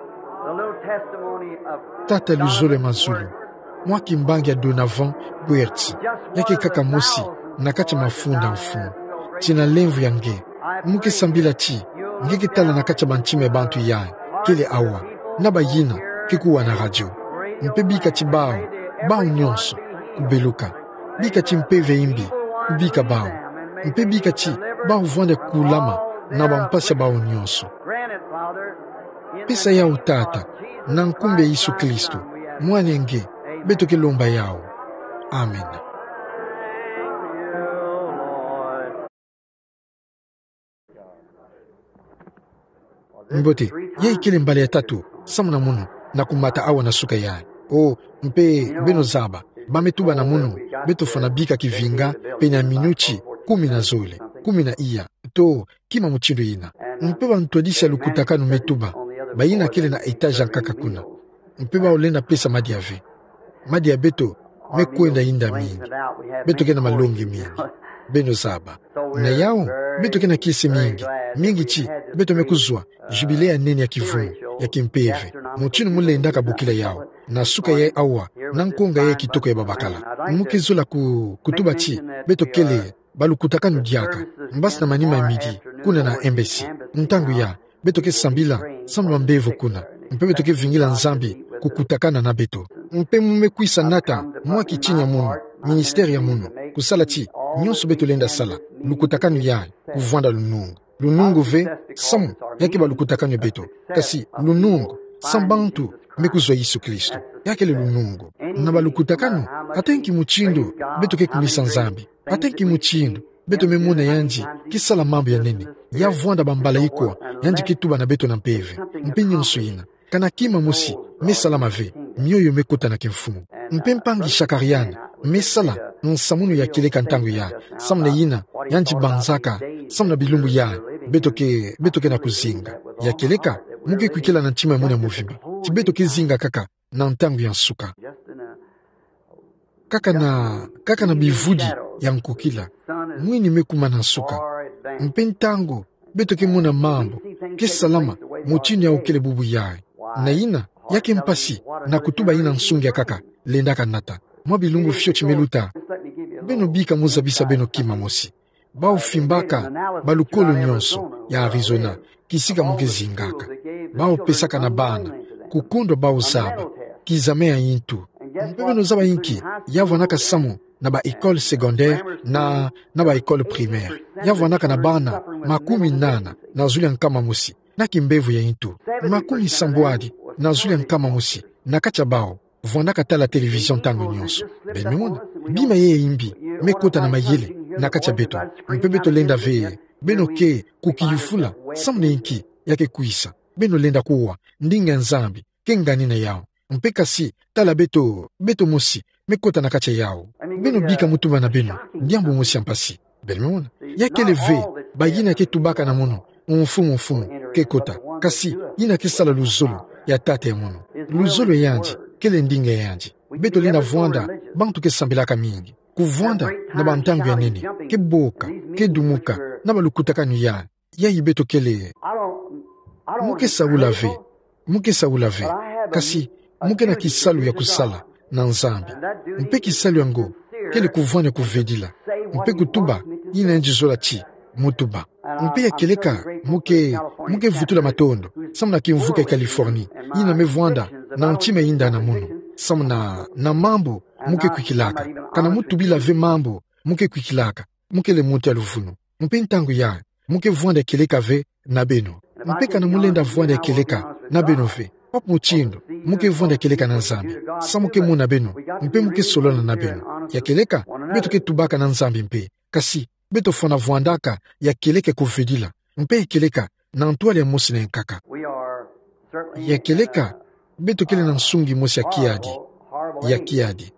the little testimony of Tata luzolo ya mazulu, mwa kimbangi ya Donovan Buerti, ya ke kaka mosi na kati ya mafunda, Mfumu. Tina lemvo ya nge, mo ke sambila ti nge ke tala na kati ya bantima ya bantu yayi kele awa, na bayina ke kuwa na radio. Mpe bika ti bawu, bawu nyonso, kubeluka. Bika ti mpeve ya imbi kubika bawu. Mpe bika ti bawu vwanda kulama na bampasi ya bawu nyonso. Pesa yawu, Tata, na nkumbu ya Yesu Kristo, Mwana ya nge, beto ke lomba yawu. Amen. Mbote, yayi kele mbala ya tatu samu na mono na kumata awa na suka yayi. O, mpe beno zaba, ba me tuba na mono, beto fwana bika kivinga pene ya minuti kumi na zole, kumi na iya, to kima mutindu yina. Mpe bantwadisi ya lukutakanu me tuba, bayina kele na étage ya nkaka kuna. Mpe bawu lenda pesa madia ve. Madia ya beto me kwenda yinda mingi. Beto ke na malongi mingi. Beno zaba. Na yawu, beto ke na kiese mingi, mingi ti, beto me kuzwa jubile ya nene ya kivungu, ya kimpeve. Mutinu mulendaka bokila yawu. Na suka ya awa, na nkonga ya kitoko ya babakala. Mu ke zola ku, kutuba ti, beto kele, balukutakanu diaka, mbasi na manima ya midi, kuna na Embassy. Ntangu ya, beto ke sambila, samu na mbevo kuna. Mpe beto ke vingila Nzambi, kukutakana na beto. Mpe mu me kwisa nata, mwa kitini ya munu, ministère ya munu, kusala ti, nionso beto lenda sala, lukutakanu ya, kuvwanda lunungu. Lunungu ve, samu, ya ke balukutakanu ya beto. Kasi, lunungu, samu bantu, me kuzwa Yesu Kristo. Ya kele lunungu. Na balukutakanu, ata nki mutindu, beto ke kumisa Nzambi. Ata nki mutindu, beto me mona yandi, ke sala mambu ya nene. Ya vwanda bambala ikwa, yandi ke tuba na beto na mpeve. Mpe nionso yina. Kana kima mosi, me salama ve, mioyo me kota na kimfumu. Mpe mpangi Shakarian, me sala, nsamunu ya kieleka ntangu ya, samu na yina, yandi banzaka, samu na bilumbu ya, beto ke, beto ke na kuzinga. Ya kieleka, mu ke kwikila na ntima ya munu ya mvimba. Ti beto ke zinga kaka, na ntangu ya nsuka. Kaka na, kaka na bivudi ya nkukila. Mwini me kuma na nsuka. Mpe ntangu, beto ke mona mambu, ke salama, mutinu yawu kele bubu yayi. Na yina, ya ke mpasi, na kutuba yina nsungi akaka, lendaka nata. Mwa bilumbu fioti me luta. Beno bika mu zabisa beno kima mosi. Bawu fimbaka, balukolo nionso, ya Arizona, kisika mu ke zingaka. Bawu pesaka na bana, kukundwa bawu zaba, kizame ya intu. Mpe beno zaba inki, ya vwanaka samu, na ba école secondaire, na, na ba école primaire. Ya vwanaka na bana, makumi nana, na zulu ya nkama mosi, na kimbevo ya intu. Makumi sambwadi, na zulu ya nkama mosi, na kati ya bawu. Vwandaka tala télévision ntangu nionso. Beno me mona. Bima yayi ya imbi. Me kota na mayele. Na kati ya beto. Mpe beto lenda ve. Beno ke. Kukiyufula. Samu na inki. Ya ke kwisa. Beno lenda kuwa. Ndinga ya Nzambi. Ke ngani na yawu. Mpe kasi. Tala beto. Beto mosi. Me kota na kati ya yawu. Beno bika mu tuba na beno. Diambu mosi ya mpasi. Beno me mona. Ya kele ve, bayina ke tubaka na munu, mfumu, mfumu, ke kota. Kasi, yina ke sala luzolo, ya tata ya munu. Luzolo ya yandi, kele ndinga ya yandi. Beto lenda vwanda, bantu ke sambilaka mingi. Kuvwanda, na bantangu ya nene, ke boka, ke dumuka, na balukutakanu ya, yayi beto kele. Mu ke saula ve, mu ke saula ve, kasi, mu ke na kisalu ya kusala, na Nzambi. Mpe kisalu yango, kele kuvwani kuvedila. Mpe kutuba, yina yandi zola ti, mu tuba. Mpe ya kieleka, mu ke, mu ke vutula matondo, samu na kimvuka ya Californie, yina me vwanda, na ntima yinda na munu, samu na, na mambu, mu ke kwikilaka. Kana mu tubila ve mambu, mu ke kwikilaka, mu kele muntu ya luvunu. Mpe ntangu ya, mu ke vwanda kieleka ve, na beno. Mpe kana mu lenda vwanda kieleka, na beno ve. Papa mutindu, mu ke vwanda kieleka na Nzambi. Samu ke muna beno, mpe mu ke solola na beno. Ya kieleka, beto ke tubaka na Nzambi mpe. Kasi, beto fwana vwandaka, ya kieleka kuvedila. Mpe ya kieleka, na ntwala ya mosi na nkaka. Ya kieleka, beto kele na nsungi mosi ya kiadi. Ya kiadi.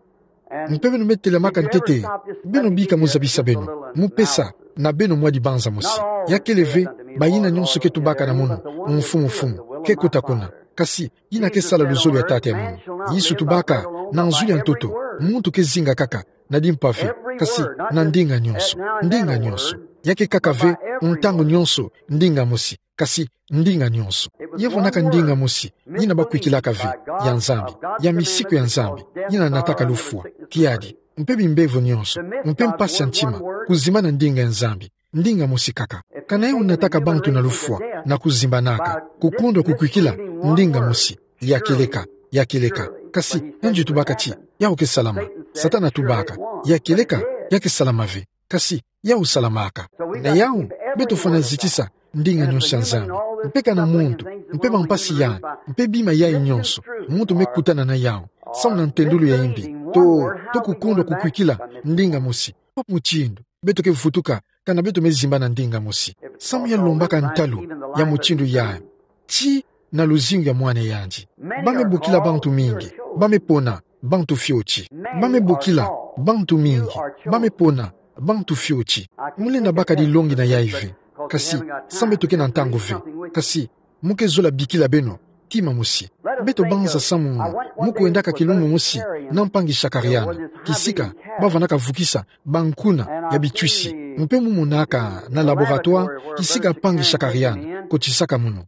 Mpe beno me telamaka ntete, beno bika mu zabisa beno, mu pesa, na beno mwa dibanza mosi. Ya kele ve, bayina nionso ke tubaka na munu, mfumu mfumu, ke kota kuna. Kasi, yina ke sala luzolo ya tata ya munu. Yesu tubaka, na nzulu ya ntoto, muntu ke zinga kaka, na dimpa ve, kasi, na ndinga nionso, ndinga nionso. Ya ke kaka ve, ntangu nionso, ndinga mosi. Kasi, ndinga nionso. Ya vwanaka ndinga mosi, yina bakwikilaka ve, ya Nzambi, ya misiku ya Nzambi, yina nataka lufwa, kiadi, mpe bimbevo nionso, mpe mpasi ya ntima, kuzimbana ndinga ya Nzambi, ndinga mosi kaka. Kana yo nataka bantu na lufwa, na kuzimbanaka, kukundwa kukwikila, ndinga mosi, ya kieleka, ya kieleka. Kasi, yandi tubaka ti, yawu ke salama. Satana tubaka, ya kieleka, ya ke salama ve. Kasi, yawu salamaka. Na yawu, beto fwana zitisa, ndinga nionso ya Nzambi. Mpe kana muntu, mpe mampasi yandi, mpe bima yayi nionso, muntu me kutana na yawu, samu na ntendulu ya imbi, to, to kukundwa kukwikila, ndinga mosi, papa mutindu, beto ke vutuka, kana beto me zimbana ndinga mosi. Samu ya lombaka ntalu, ya mutindu yayi, ti na luzingu ya mwana yandi. Ba me bokila bantu mingi, ba me pona, bantu fioti. Ba me bokila, bantu mingi, ba me pona, bantu fioti. Mu lenda baka dilongi na yayi ve. Kasi, samu beto ke na ntangu ve. Kasi, mu ke zola bikila beno, kima mosi. Beto banza samu mu kwendaka kilumbu mosi na mpangi Shakarian, kisika ba vanaka vukisa bankuna ya bitwisi. Mpe mu monaka na laboratoire kisika mpangi Shakarian kotisaka mono.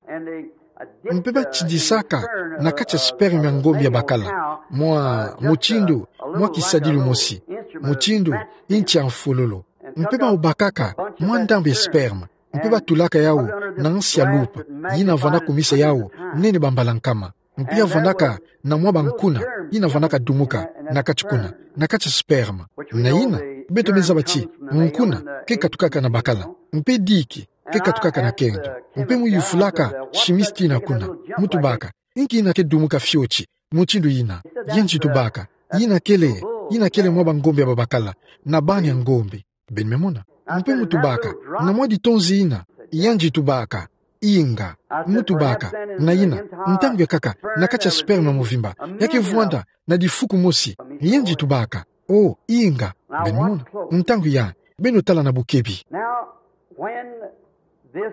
Mpe ba tindisaka na kati ya sperme ya ngombe ya bakala mwa mutindu mwa kisadilu mosi, mutindu nti ya mfololo. Mpe ba bakaka mwa ndambu ya sperme, mpe ba tulaka yawu na nsi ya loupe, yina vanda kumisa yawu nene bambala nkama. Mpe ya vandaka na mwa bankuna yina vandaka dumuka na kati kuna, na kati ya sperme. Na yina, beto me zaba ti nkuna ke katukaka na bakala, mpe diki ke katukaka na kento. Mpe mu yufulaka shimisi tina kuna, mu tubaka: Inki yina ke dumuka fioti mutindu yina? Yandi tubaka: Yina kele, yina kele mwa bangombe ya babakala na bana ya ngombe. Beno me mona? Mpe mu tubaka: Na mwa ditonzi yina? Yandi tubaka: Inga. Mu tubaka: Na yina, ntangu ya nkaka na kati ya sperme ya mvimba, ya ke vwanda na difuku mosi? Yandi tubaka: O, inga. Beno me mona? Ntangu ya, beno tala na bukebi.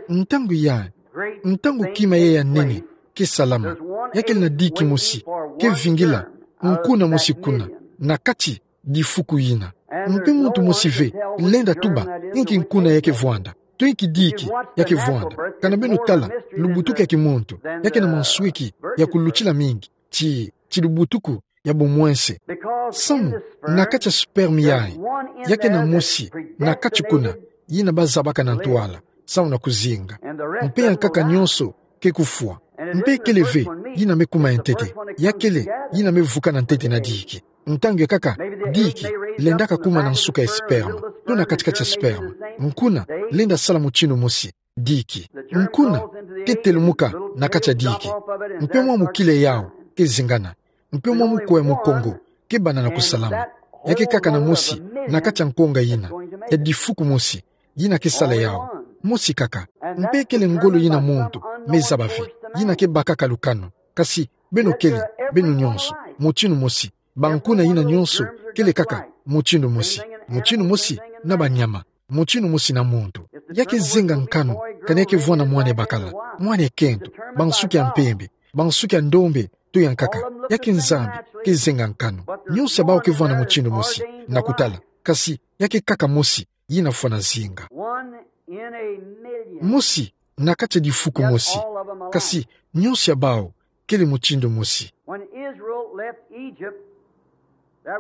Ntangu ya, ntangu kima ya ya nene ke salama, ya kele na diki mosi ke vingila nkuna mosi kuna na kati difuku yina. Mpe muntu mosi ve lenda tuba inki nkuna ya ke vwanda, to inki diki ya ke vwanda. Kana beno tala lubutuku ya kimuntu, ya ke na mansweki ya kulutila mingi ti, ti lubutuku ya bumwense. Samu na kati ya sperme yayi, ya ke na mosi na kati kuna, yina ba zabaka na ntwala samu na kuzinga. Mpe ya nkaka nyonso ke kufwa. Mpe kele ve yina me kuma ya ntete, ya kele yina me vukana ntete na diki. Ntangu ya nkaka, diki lendaka kuma na nsuka ya sperme, to na kati-kati ya sperme. Nkuna lenda sala mutindu mosi. Diki, nkuna ke telumuka na kati ya diki. Mpe mwa mukila yawu ke zingana. Mpe mwa muko ya mukongo ke bana na kusalama. Ya ke kaka na mosi na kati ya nkonga yina ya difuku mosi, yina ke sala yawu. Mosi kaka. Mpe kele ngolo yina muntu me zaba ve, yina ke bakaka lukanu. Kasi beno kele, beno nyonso, mutindu mosi. Bankuna yina nyonso kele kaka mutindu mosi. Mutindu mosi na banyama, mutindu mosi na muntu. Ya ke zenga nkanu kana ya ke vwanda mwana ya bakala, mwana ya kento, bansuki ya mpembe, bansuki ya ndombe, to ya nkaka. Ya ke Nzambi ke zenga nkanu. Nyonso ya bawu ke vwanda mutindu mosi na kutala. Kasi ya ke kaka mosi yina fwana zinga. Mosi na kati ya difuku mosi. Kasi nyonso ya bawu kele mutindu mosi.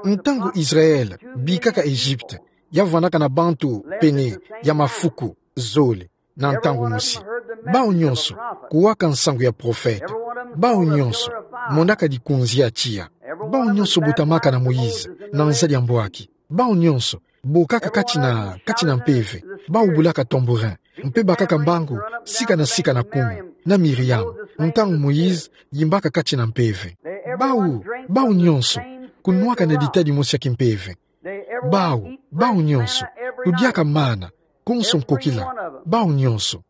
Ntangu Israel bikaka Egypte, ya vandaka na bantu pene ya mafuku zole na ntangu mosi. Bawu nyonso kuwaka nsangu ya profete. Bawu nyonso monaka dikunzi ya tiya. Bawu nyonso botamaka na Moïse na nzadi ya mbwaki. Bawu nyonso bokaka kati na, kati na mpeve. Bawu bulaka tambourin mpe bakaka mbangu sika na sika na kumi na Miriam, ntangu Moïse yimbaka kati na mpeve. Bawu, bawu nyonso kunwaka na ditadi mosi ya kimpeve. Bawu, bawu nyonso kudiaka mana konso nkokila. Bawu nyonso.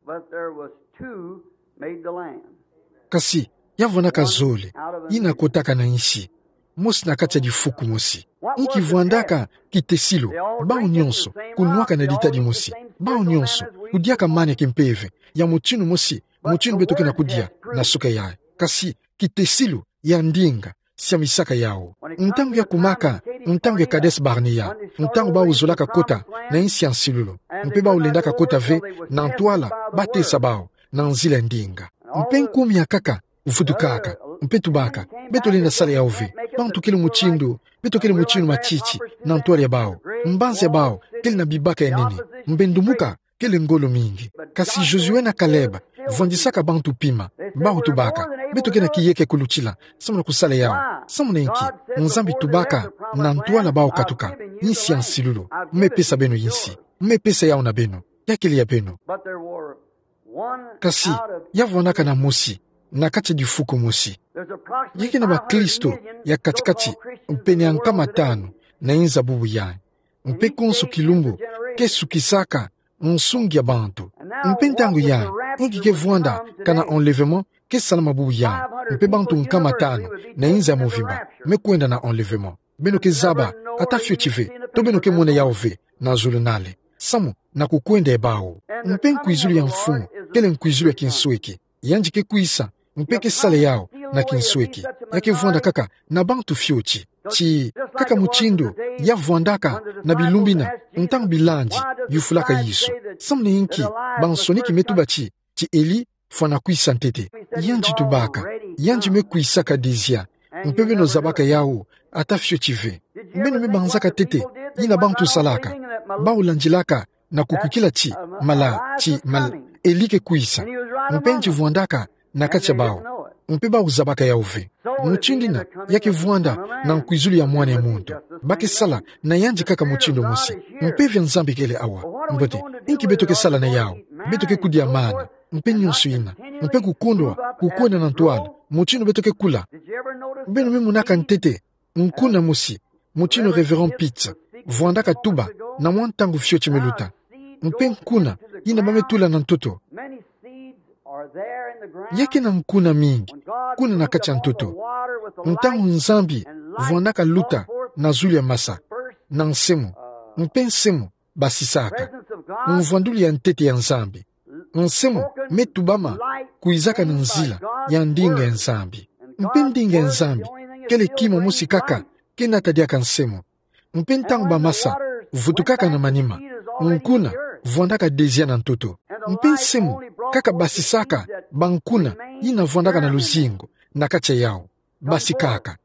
Kasi ya vwandaka zole yina kotaka na nsi, mosi na kati ya difuku mosi. Inki vwandaka kitesilu? Bawu nyonso kunwaka na ditadi mosi. Bawu nyonso kudiaka mana ya kimpeve ya mutindu mosi, mutindu beto ke na kudia na suka yayi. Kasi kitesilu ya ndinga siamisaka yawu. Ntangu ya kumaka ntangu ya Kades Barnea, ntangu bawu zolaka kota na nsi ya nsilulu, mpe bawu lendaka kota ve na ntwala, batesa bawu na nzila ya ndinga. Mpe nkumbu ya nkaka vutukaka, mpe tubaka: Beto lenda sala yawu ve. Bantu kele mutindu, beto kele mutindu matiti na ntwala ya bawu. Mbanza ya bawu kele na bibaka ya nene. Mpe ndumuka kele ngolo mingi. Kasi Josué na Caleb vwandisaka bantu pima. Bawu tubaka: Beto ke na kiyeke kulutila samu na kusala yawu. Samu na inki? Nzambi tubaka na ntwala bawu katuka: Nsi ya nsilulu, me pesa beno insi. Me pesa yawu na beno. Ya kele ya beno. Kasi ya vwandaka na mosi na kati ya difuku mosi. Ya ke na bakristo ya kati-kati pene ya nkama tanu na inza bubu yayi. Mpe konso kilumbu ke sukisaka nsungi ya bantu. Mpe ntangu yayi, inki ke vwanda kana enlèvement ke salama bubu yayi. Mpe bantu nkama tanu na inza ya mvimba me kwenda na enlèvement. Beno ke zaba ata fioti ve, to beno ke mona yawu ve na zulunale. Samu na kukwenda ya bawu. Mpe nkwizulu ya Mfumu kele nkwizulu ya kinsweki. Yandi ke kwisa Mpe ke sala yau na kinsweki. Ya ke vwanda kaka na bantu fioti. Ti kaka mutindu ya vwandaka na bilumbu ina, ntangu bilandi yufulaka Yesu. Samu na inki bansoni ki metuba ti, ti Eli fwana kwisa ntete? Yandi tubaka, yandi me kwisaka dizia. Mpe beno zabaka yau, ata fioti ve. Beno me banzaka ntete yina bantu salaka, bau landilaka na kukwikila ti mala, ti mala, Eli ke kwisa. Mpe yandi vwandaka na kati ya bau. Mpe bau zabaka yau ve. Mutindu ina ya ke vwanda na nkwizulu ya Mwana ya Muntu. Ba ke sala na yandi kaka mutindu mosi. Mpeve ya Nzambi kele awa. Mbote, inki beto ke sala na yau? Beto ke kudiamana. Mpe nionso ina. Mpe kukondwa, kukwenda na ntwala. Mutindu beto ke kula. Beno me monaka ntete nkuna mosi, mutindu Révérend Pitts vwandaka tuba na mwa ntangu fioti me luta. Mpe nkuna yina ba me tula na ntoto. Ya ke na nkuna mingi kuna na kati ya ntoto. Ntangu Nzambi vwandaka luta na zulu ya masa, na nsemo, mpe nsemo basisaka. Mvwandulu ya ntete ya Nzambi. Nsemo me tubama kwizaka na nzila ya ndinga ya Nzambi. Mpe ndinga ya Nzambi kele kima mosi kaka ke nata diaka nsemo. Mpe ntangu bamasa vutukaka na manima, nkuna vwandaka dezia na ntoto. Mpe nsemo kaka basisaka bankuna yina vwandaka na luzingu na kati ya yau. Basikaka.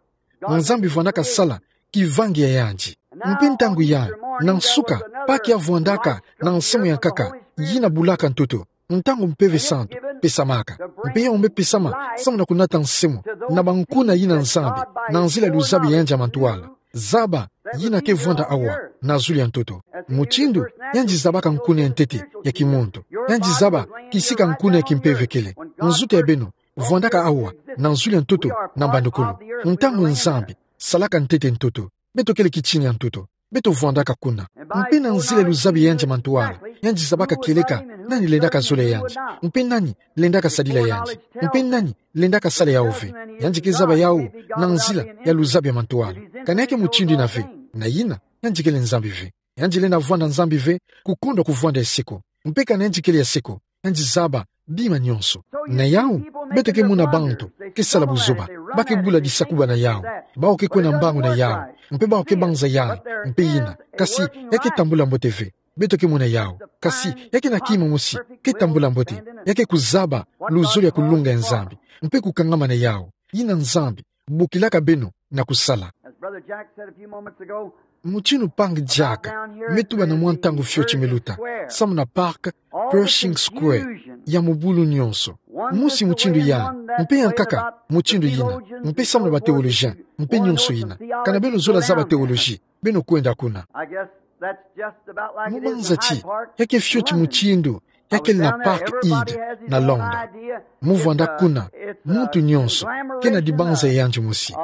Nzambi vwandaka sala kivangi ya yandi. Mpe ntangu ya, na nsuka, Pâques ya vwandaka na nsemo ya nkaka yina bulaka ntoto. Ntangu Mpeve Santu pesamaka, mpe yau me pesama samu na kunata nsemo na bankuna yina Nzambi, na nzila luzabi ya yandi ya mantwala. Zaba yina ke vwanda awa na zulu ya ntoto. Mutindu yandi zabaka nkuna ya ntete ya kimuntu, yandi zaba kisika nkuna ya kimpeve kele. Nzutu ya beno vwandaka awa na zulu ya ntoto na mbandukulu. Ntangu Nzambi salaka ntete ntoto, beto kele kitini ya ntoto. Beto vwandaka kuna. Mpe na nzila luzabi ya yandi ya mantwala, yandi zabaka kieleka nani lendaka zola yandi, mpe nani lendaka sadila yandi, mpe nani lendaka sala yau ve. Yandi ke zaba yau na nzila ya luzabi ya mantwala. Kana ya ke mutindu ina ve, na yina yandi kele Nzambi ve. Yandi lenda vwanda Nzambi ve, kukondwa kuvwanda ya seko. Mpe kana yandi kele ya seko, yandi zaba bima nionso. Na yau, beto ke mona bantu ke sala buzoba, ba ke bula disakuba na yau, bau ke kwenda mbangu na yau, mpe bau ke banza yai, mpe yina. Kasi ya ke tambula mbote ve. Beto ke mona yau. Kasi ya ke na kima mosi ke tambula mbote, ya ke kuzaba luzolo ya kulunga ya Nzambi, mpe kukangama na yau. Yina Nzambi bokilaka beno na kusala. As Brother Jack said a few moments ago, mutindu Mpangi Jack me tuba na mwa ntangu fioti me luta, samu na parc Pershing Square, ya mubulu nionso. Mosi mutindu ya, mpe ya nkaka mutindu yina, mpe samu na ba théologiens, mpe nionso yina. Kana beno zola zaba théologie, beno kwenda kuna. I guess that's just about like it is in Hyde Park. Mu banza ti ya ke fioti mutindu ya kele na Parc Hyde na Londres. Mu vwanda kuna, muntu nionso ke na dibanza ya yandi mosi.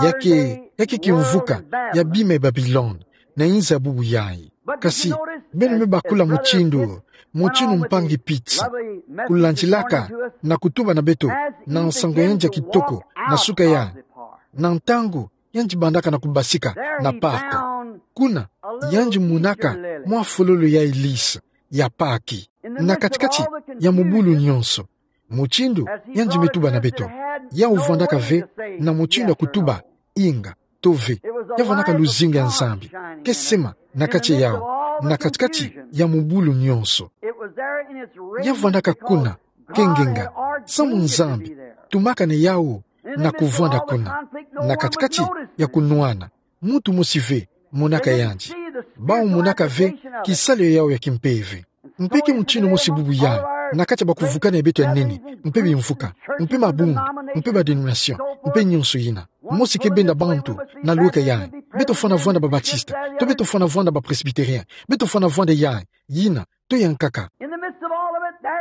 Ya ke, ya ke kimvuka ya bima ya Babilone, na inza bubu yai. Kasi beno me bakula mutindu, mutindu Mpangi Pitts kulandilaka na kutuba na beto na nsangu ya yandi ya kitoko, na suka ya, na ntangu yandi bandaka na kubasika na parc. Kuna, yandi monaka mwa fololo ya lys ya Pâques, na katikati ya mubulu nionso. Mutindu yandi me tuba na beto, yau vwandaka ve na mutindu ya kutuba inga to ve. Ya vwandaka luzingu ya Nzambi ke sema na kati ya yau, na katikati ya mubulu nionso. Ya vwandaka kuna ke ngenga, samu Nzambi tumaka na yau na kuvwanda kuna, na katikati ya kunwana. Muntu mosi ve monaka yandi. Bau monaka ve kisalu ya yau ya kimpeve. Mpe ke mutindu mosi bubu yai, na kati ya bakuvukana ya beto ya nene, mpe bimvuka, mpe mabundu, mpe ba dénomination, mpe nionso yina. Mosi ke benda bantu na lueka yai. Beto fwana vwanda ba Baptiste, to beto fwana vwanda ba Presbytérien, beto fwana vwanda yai, yina, to ya nkaka.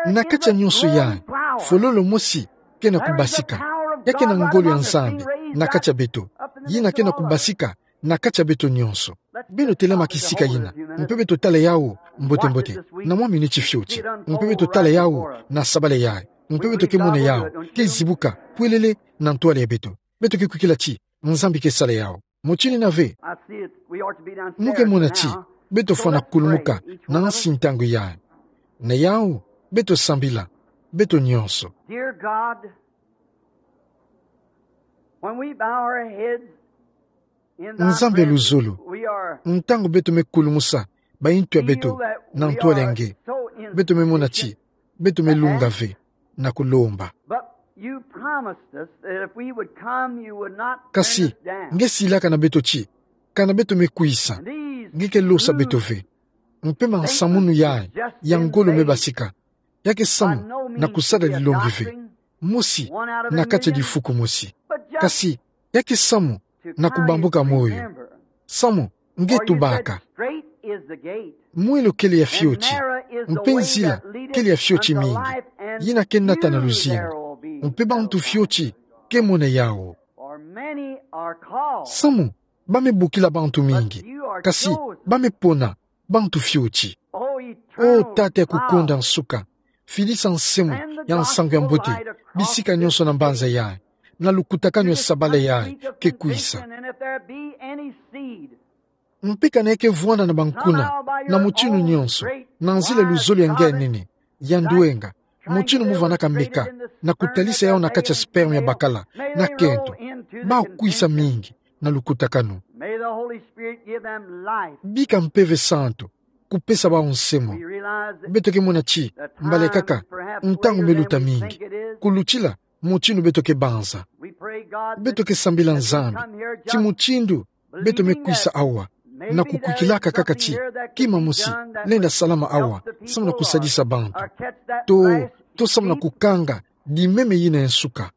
Na kati ya nionso yai, fololo mosi ke na kubasika. Ya ke na ngolo ya Nzambi na kati ya beto, yina ke na kubasika na kati ya beto nionso. Beno telama kisika yina, mpe beto tala yau mbote-mbote, na mwa miniti fioti. Mpe beto tala yau na sabala yai, mpe beto ke mona yau ke zibuka pwelele na ntwala ya beto. Beto ke kwikila ti Nzambi ke sala yau. Mutindu yina ve, mu ke mona ti beto fwana kulumuka na nsi ntangu yai. Na yau, beto sambila, beto nionso. Dear God, When we bow our heads in thy Nzambi ya luzolo, presence, we are ntangu beto me kulumusa baintu ya beto feel that na we ntwala ya are nge, so beto me mona ti insignificant. Beto me lunga ve na kulomba. But you promised us that if we would come, you would not turn Kasi, us down. Nge silaka na beto ti, kana beto me kwisa, And these nge ke losa beto ve. Mpe mansamunu ya, ya ngolo me basika, ya ke samu na kusala dilongi ve, mosi na kati ya difuku mosi. Kasi, ya ke samu na kubambuka moyo. Samu, nge tubaka. Mwelo kele ya fioti, mpe nzila kele ya fioti mingi, yina ke nata na luzingu, mpe bantu fioti ke mona yawu. Samu, ba me bokila bantu mingi, kasi ba me pona bantu fioti. O Tata ya kukonda nsuka, filisa nsemo ya nsangu ya mbote bisika nionso na mbanza yayi, na lukutakanu ya sabala yayi ke kwisa. Mpe kana ya ke vwanda na bankuna, na mutinu nionso, na nzila ya luzolo ya nge ya nene, ya ndwenga, mutinu mu vwanaka meka, na kutalisa yawu na kati ya sperme ya bakala, na kento, bawu kwisa mingi na lukutakanu. May the Holy Spirit give them life. Bika Mpeve Santu kupesa bawu nsemo. We realize that Beto ke mona ti, mbala kaka, ntangu me luta mingi. Kulutila mutinu beto ke banza. We pray, God, Beto ke sambila Nzambi ti mutindu beto me kwisa awa, na kukwikilaka kaka ti kima mosi lenda salama awa, samu na kusadisa bantu. To, to samu na kukanga dimeme yina ya nsuka.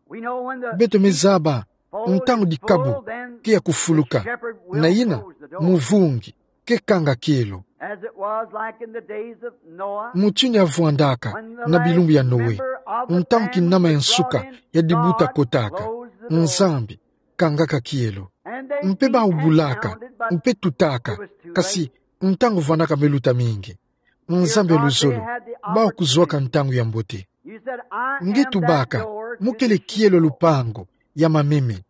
Beto me zaba ntangu dikabu ke ya kufuluka, na yina muvungi ke kanga kielo. Mutinu ya vwandaka na bilumbu ya Noe, ntangu kinama ya nsuka ya dibuta kotaka, Nzambi kangaka kielo. Mpe bawu bulaka, mpe tutaka, kasi ntangu vwandaka me luta mingi. Nzambi ya luzolo, bawu kuzwaka ntangu ya mbote. Nge tubaka, mo kele kielo ya lupangu ya mameme.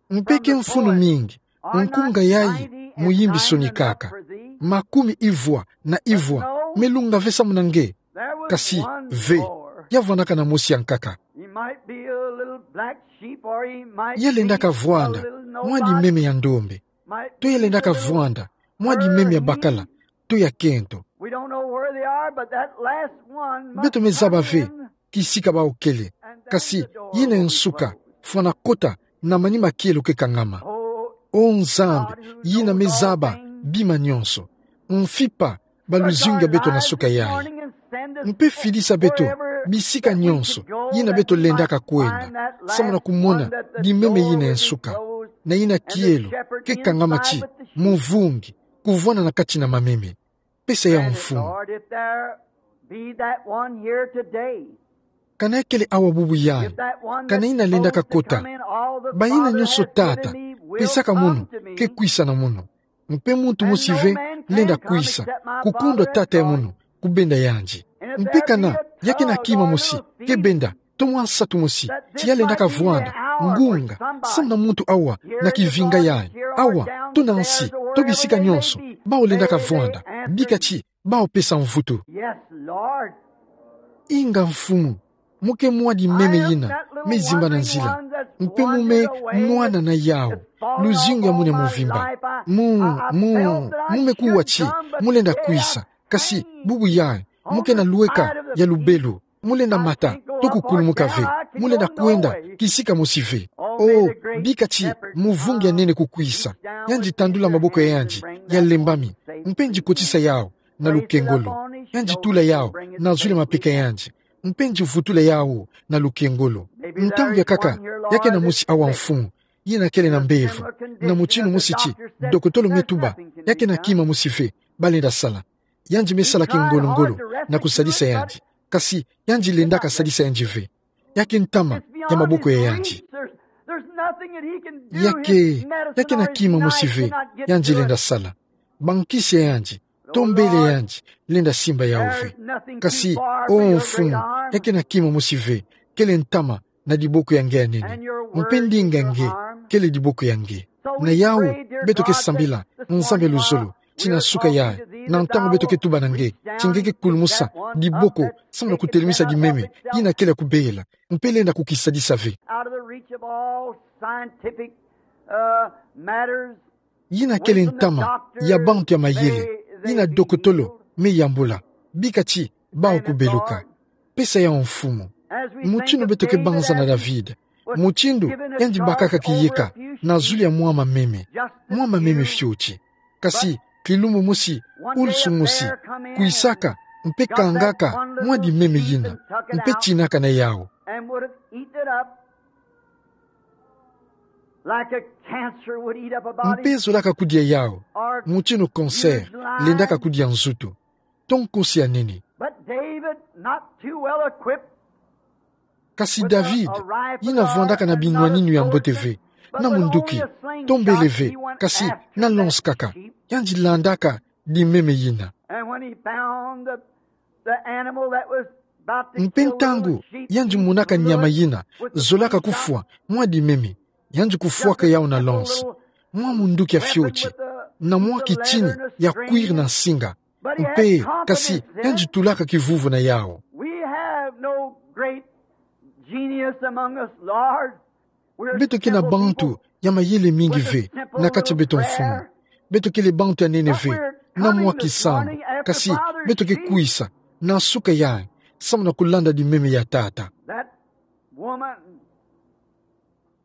Mpe ke mfunu mingi nkunga yayi muyimbi sonikaka. Makumi ivwa na ivwa me lunga ve samu na nge. Kasi ve, ya vwandaka na mosi ya nkaka. Ya lendaka vwanda mwa dimeme ya ndombe, to ya lendaka vwanda mwa dimeme ya bakala, to ya kento. Beto me zaba ve kisika bawu kele, kasi yina ya nsuka fwana kota na manima kielo ke kangama. O Nzambi, yina me zaba bima nionso, mfipa baluzingu ya beto na nsuka yayi. Mpe filisa beto bisika nionso yina beto lendaka kwenda, samu na kumona dimeme yina ya nsuka, na yina kielo ke kangama ti muvungi kuvwanda na kati na mameme. Pesa yawu, Mfumu. Kana ya kele awa bubu yayi, kana yina lendaka kota, bayina nionso, Tata, pesaka munu ke kwisa na munu. Mpe muntu mosi ve lenda kwisa, kukundwa Tata ya munu kubenda yandi. Mpe kana ya kena kima mosi ke benda, to mwa nsatu mosi, ti ya lendaka vwanda, ngunga, samu na muntu awa na kivinga yayi, awa, to na nsi, to bisika nionso bawu lendaka vwanda, bika ti bawu pesa mvutu. Inga, Mfumu, mo ke mwa dimeme yina me zimbana nzila, mpe mo me nwana na yawu luzingu ya munu ya mvimba. Mo, mo, mo me kuwa ti mo lenda kwisa, kasi bubu yayi mo kena lweka ya lubelu. Mo lenda mata, to kukulumuka ve. Mo lenda kwenda kisika mosi ve. O, bika ti muvungi ya nene kukwisa. Yandi tandula maboko ya yandi ya lembami, mpe yandi kotisa yawu na lukengolo. Yandi tula yawu na zulu ya mapeka ya yandi, mpe yandi vutula yawu na lukengolo. Ntangu ya nkaka ya kena mosi awa, Mfumu, yina kele na mbevo, na mutinu mosi ti dokotolo me tuba ya kena kima mosi ve ba lenda sala. Yandi me sala kingolo-ngolo na kusadisa yandi, kasi yandi lendaka sadisa yandi ve. Ya ke ntama ya maboko ya yandi. Ya ke, ya kena kima mosi ve yandi lenda sala. Bankisi ya yandi, to mbele ya yandi, lenda simba yawu ve. Kasi, o Mfumu, ya kena kima mosi ve kele ntama na diboko ya nge ya nene, mpe ndinga ya nge kele diboko ya nge. Na yawu beto ke sambila, Nzambi ya luzolo, Ti na suka yayi, na ntangu beto ke tuba na nge, ti nge ke kulumusa diboko, samu na kutelimisa dimeme yina kele ya kubela, mpe lenda kukisadisa ve. Out of the reach of all scientific, uh, matters. Yina kele ntama ya bantu ya mayele, yina dokotolo me yambula. Bika ti, bau kubeluka. Pesa yawu mfumu. Mutindu beto ke banza na David, mutindu yandi bakaka kiyeka na zulu ya mwa mameme, mwa mameme fioti. Kasi kilumbu mosi, ulusu mosi, kwisaka, mpe kangaka mwa dimeme yina, mpe tinaka na yawu. And would have eaten it up like a cancer would eat up a body. Mpe zolaka kudia yawu, mutindu cancer lendaka kudia nzutu. To nkosi ya nene. But David, not too well equipped, kasi David, yina vwandaka na binwaninu ya mbote ve, na munduki, to mbele ve, kasi na lance kaka, yandi landaka dimeme yina. And when he found the, the animal that was about to kill the little sheep, mpe ntangu yandi monaka nyama yina zolaka kufwa mwa dimeme, yandi kufwaka yawu na lance, mwa munduki ya fioti, na mwa kitini ya cuir na nsinga. Mpe kasi yandi tulaka kivuvu na yawu. We have no great genius among us, Lord. Beto ke na bantu ya mayele mingi ve na kati ya beto, Mfumu. Beto kele bantu ya nene ve, na mwa kisambu, kasi beto ke kwisa na suka yayi, samu na kulanda dimeme ya Tata. That woman,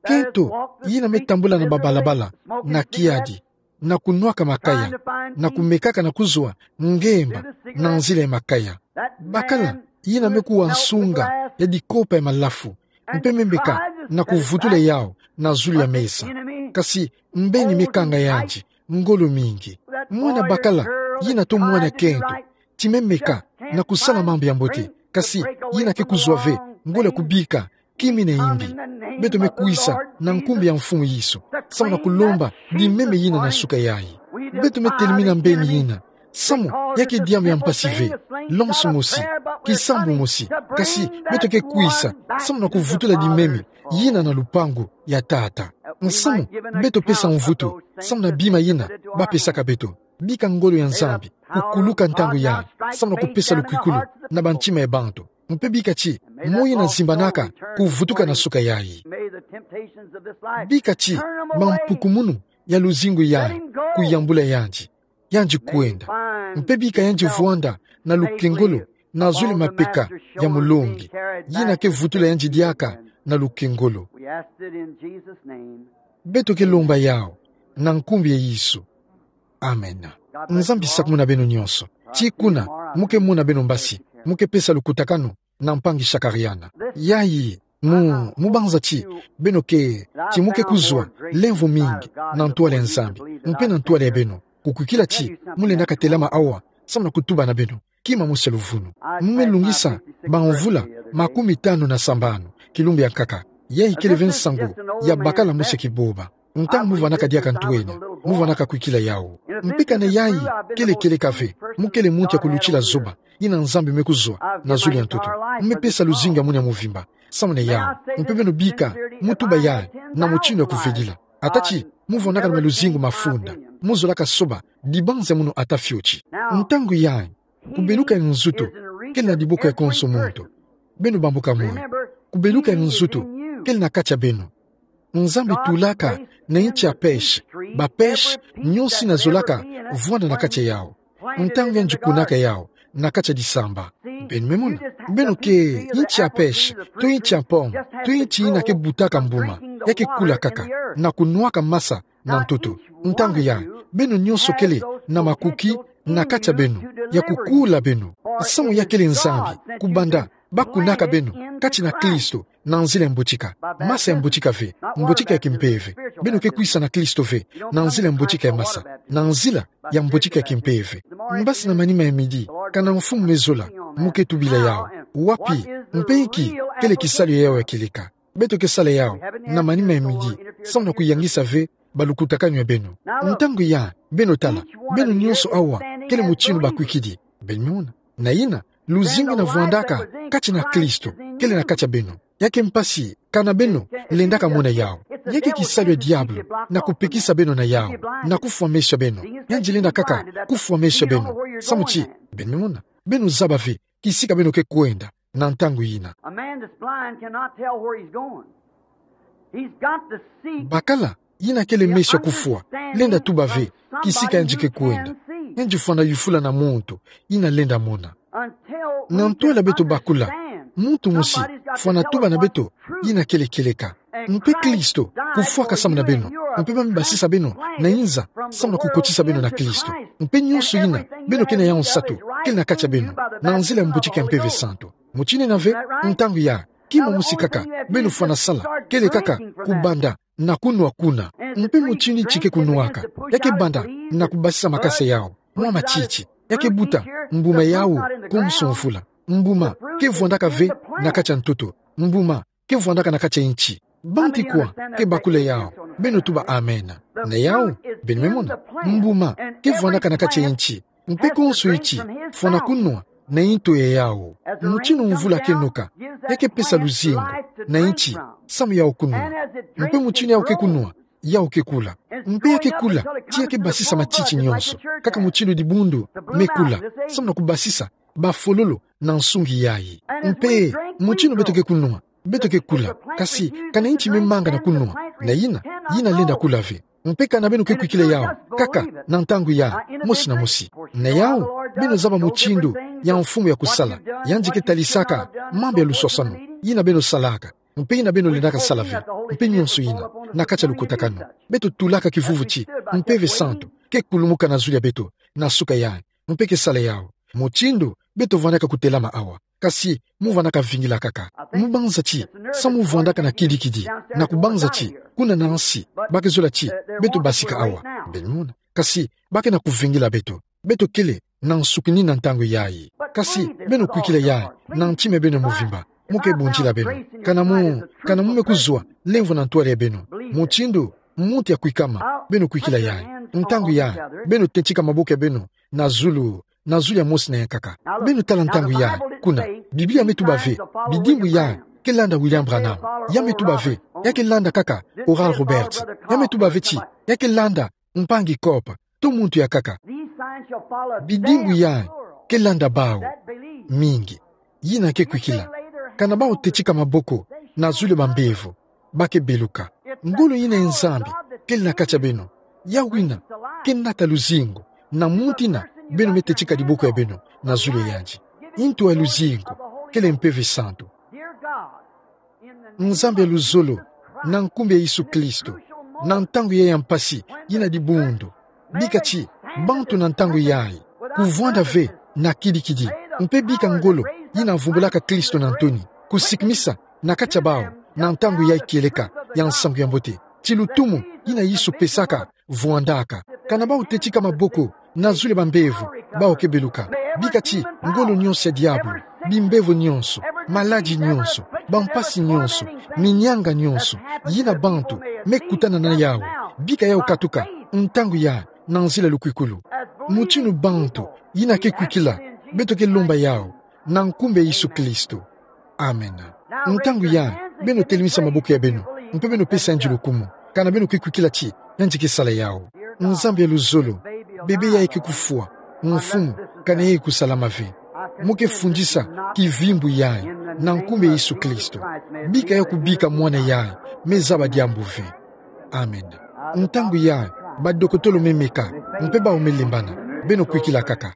kento yina me tambula na babalabala na kiadi, na kunwaka makaya, na kumekaka na kuzwa ngemba na nzila ya makaya. Bakala yina me kuwa nsunga ya dikopa ya malafu, mpe me meka na kuvutula yawu na zulu ya mesa. Kasi mbeni me kanga yandi ngolo mingi. Mwana bakala yina to mwana kento, ti me meka na kusala mambu ya mbote, kasi yina ke kuzwa ve ngolo ya kubika kimi na imbi. Beto me kwisa na nkumbu ya Mfumu Yesu, samu na kulomba dimeme yina na suka yayi. Beto me telimina mbeni yina, samu ya ke diambu ya mpasi ve, lance mosi, kisambu mosi, kasi beto ke kwisa samu na kuvutula dimeme yina na lupangu ya Tata. Nsamu beto pesa mvutu samu na bima yina bapesaka beto. Bika ngolo ya Nzambi kukuluka ntangu yayi, samu na kupesa lukwikulu na bantima ya bantu. Mpe bika ti moyo yina zimbanaka kuvutuka na suka yayi. Bika ti mampukumunu ya luzingu yayi kuyambula yandi, yandi kwenda. Mpe bika yandi vwanda na lukengolo na zulu ya mapeka ya Molongi, yina ke vutula yandi diaka na lukengolo. Beto ke lomba yawu na nkumbu ya Yesu. Amen. Nzambi sakumuna beno nyonso. Ti kuna mu ke mona beno mbasi, mu ke pesa lukutakanu na mpangi Shakarian. Yayi mu, mu banza ti beno ke, ti mu ke kuzwa lemvo mingi na ntwala ya Nzambi, mpe na ntwala ya beno. Kukwikila ti mu lenda katelama awa samu na kutuba na beno. Kima mosi ya luvunu. Mu me lungisa bamvula makumitanu na sambanu kilumbu ya nkaka. Yayi kele ve nsangu ya bakala mosi ya kiboba. Ntangu mu vwanaka diaka ntu ena, mu vwanaka kwikila yawu. Mpe kana yayi kele kieleka ve, mu kele muntu ya kulutila zoba yina Nzambi me kuzwa na zulu ya ntoto. Mu me pesa luzingu ya munu ya mvimba samu na yawu. Mpe beno bika mu tuba yayi na mutindu ya kuvedila. Ata ti mu vwanaka na maluzingu mafunda, mu zolaka soba dibanza ya munu ata fioti. Ntangu yayi, kubeluka ya nzutu kele na diboko ya konso muntu. Beno bambuka moyo. Kubeluka ya nzutu kele na kati ya beno. Nzambi tulaka na inti ya pêche, ba pêche nyonso yina zolaka vwanda na kati ya yawu. Ntangu yandi kunaka yawu na kati ya disamba. Beno me mona, beno ke inti ya pêche, to inti ya pomme, to inti yina ke butaka mbuma, ya ke kula kaka na kunwaka masa na ntoto. Ntangu yayi, beno nyonso kele na makuki na kati ya beno ya kukula beno. Samu ya kele Nzambi kubanda bakunaka beno kati na Kristo na nzila ya mbotika. Masa ya mbotika ve, mbotika ya kimpeve. Beno ke kwisa na Kristo ve na nzila ya mbotika ya masa, na nzila ya mbotika ya kimpeve. Mbasi na manima ya midi, kana Mfumu me zola, mu ke tubila yawu. Wapi, mpe inki kele kisalu ya yawu ya kieleka? Beto ke sala yawu na manima ya midi, samu na kuyangisa ve balukutakanu ya beno. Ntangu yayi, beno tala, beno nyonso awa kele mutindu bakwikidi. Beno me mona. Na yina, luzingu yina vwandaka kati na Kristo kele na kati ya beno. Ya ke mpasi kana beno lendaka mona yawu. Ya ke kisalu ya diabolo, na kupekisa beno na yawu, na kufwa meso ya beno. Yandi lenda kaka kufwa meso ya beno. Samu ti, beno mona, beno zaba ve kisika beno ke kwenda na ntangu yina. A man that's blind cannot tell where he's going. He's got to see. Bakala yina kele meso ya kufwa lenda tuba ve kisika yandi ke kwenda. Yandi fwana yufula na muntu yina lenda mona. Na ntwala beto bakula, muntu mosi fwana tuba na beto yina kele kieleka. Mpe Kristo kufwaka samu na beno, mpe ba me basisa beno na inza samu na kukotisa beno na Kristo. Mpe nionso yina beno ke na yawu nsatu kele na kati ya beno, na nzila ya mbutika ya Mpeve Santu. Mutindu yina ve, ntangu ya kima mosi kaka beno fwana sala kele kaka kubanda na kunwa kuna. Mpe mutindu ti ke kunwaka, ya ke banda na kubasisa makasa yawu mwa matiti. Ya ke buta mbuma yawu konso mvula. Mbuma ke vwandaka ve na kati ya ntoto. Mbuma ke vwandaka na kati ya inti. Bantu ikwa ke bakula yawu? Beno tuba amen. Na yawu, beno me mona, mbuma ke vwandaka na kati ya inti. Mpe konso inti fwana kunwa na into ya yawu. Mutindu mvula ke noka, ya ke pesa luzingu na inti samu yawu kunwa. Mpe mutindu yawu ke kunwa, yawu ke kula. Mpe ya ke kula ti ya ke basisa matiti nionso, kaka mutindu dibundu me kula, samu na kubasisa bafololo na nsungi yayi. Mpe mutindu beto ke kunwa, beto ke kula. Kasi kana inti me manga na kunwa, na yina, yina lenda kula ve. Mpe kana beno ke kwikila yawu kaka na ntangu ya mosi na mosi. Na yawu, beno zaba mutindu ya Mfumu ya kusala. Yandi ke talisaka mambu ya luswaswanu yina beno salaka, mpe yina beno lendaka sala ve, mpe nionso yina na kati ya lukutakanu. Beto tulaka kivuvu ti Mpeve Santu ke kulumuka na zulu ya beto na suka yayi, mpe ke sala yawu. Mutindu beto vwandaka kutelama awa, kasi mu vwandaka vingila kaka. Mu banza ti, samu vwandaka na kidikidi, na kubanza ti kuna na nsi ba ke zola ti beto basika awa, beno mona. Kasi ba ke na kuvingila beto. Beto kele na nsukini na ntangu yayi. Kasi beno kwikila yayi na ntima ya beno muvimba. Mu ke bundila beno. Kana mu, kana mu me kuzwa lemvo na ntwala ya beno, mutindu muntu ya kwikama, beno kwikila yayi. Ntangu yayi, beno tetika maboko ya beno na zulu, na zulu ya mosi na yankaka. Beno tala ntangu yayi. Kuna Biblia me tuba ve, bidimbu yayi ke landa William Branham. Ya me tuba ve, ya ke landa kaka Oral Roberts. Ya me tuba ve ti ya ke landa mpangi Cope, to muntu yankaka. Bidimbu yayi ke landa bawu mingi yina ke kwikila. Kana bawu tetika maboko na zulu ya bambevo, ba ke beluka. Ngolo yina ya Nzambi kele na kati ya beno, ya wina ke nata luzingu na muntu yina beno me tetika diboko ya beno na zulu ya yandi. Into ya luzingu kele Mpeve Santu. Nzambi ya luzolo, na nkumbu ya Yesu Kristo, na ntangu yayi ya mpasi yina dibundu, bika ti bantu na ntangu yayi kuvwanda ve na kidikidi, mpe bika ngolo yina vumbulaka Kristo na ntoni kusikimisa na kati ya bawu na ntangu yayi kieleka ya nsangu ya mbote, ti lutumu yina Yesu pesaka vwandaka. Kana bawu tetika maboko na zulu ya bambevo, bawu ke beluka. Bika ti ngolo nionso ya diabolo, bimbevo nionso, maladi nionso, bampasi nionso, minyanga nionso yina bantu me kutana na yawu, bika yawu katuka ntangu yayi na nzila ya lukwikulu. Mutindu bantu yina ke kwikila, beto ke lomba yawu na nkumbu ya Yesu Kristo. Amen. Ntangu yayi, beno telemisa maboko ya beno, mpe beno pesa yandi lukumu. Kana beno ke kwikila ti yandi ke sala yawu. Nzambi ya luzolo, bebe yayi ke kufwa, Mfumu, kana yayi kusalama ve. Mu ke fundisa kivimbu yayi na nkumbu ya Yesu Kristo. Bika yawu kubika mwana yayi me zaba diambu ve. Amen. Ntangu yayi, badokotolo me meka, mpe bawu me lembana. Beno kwikila kaka.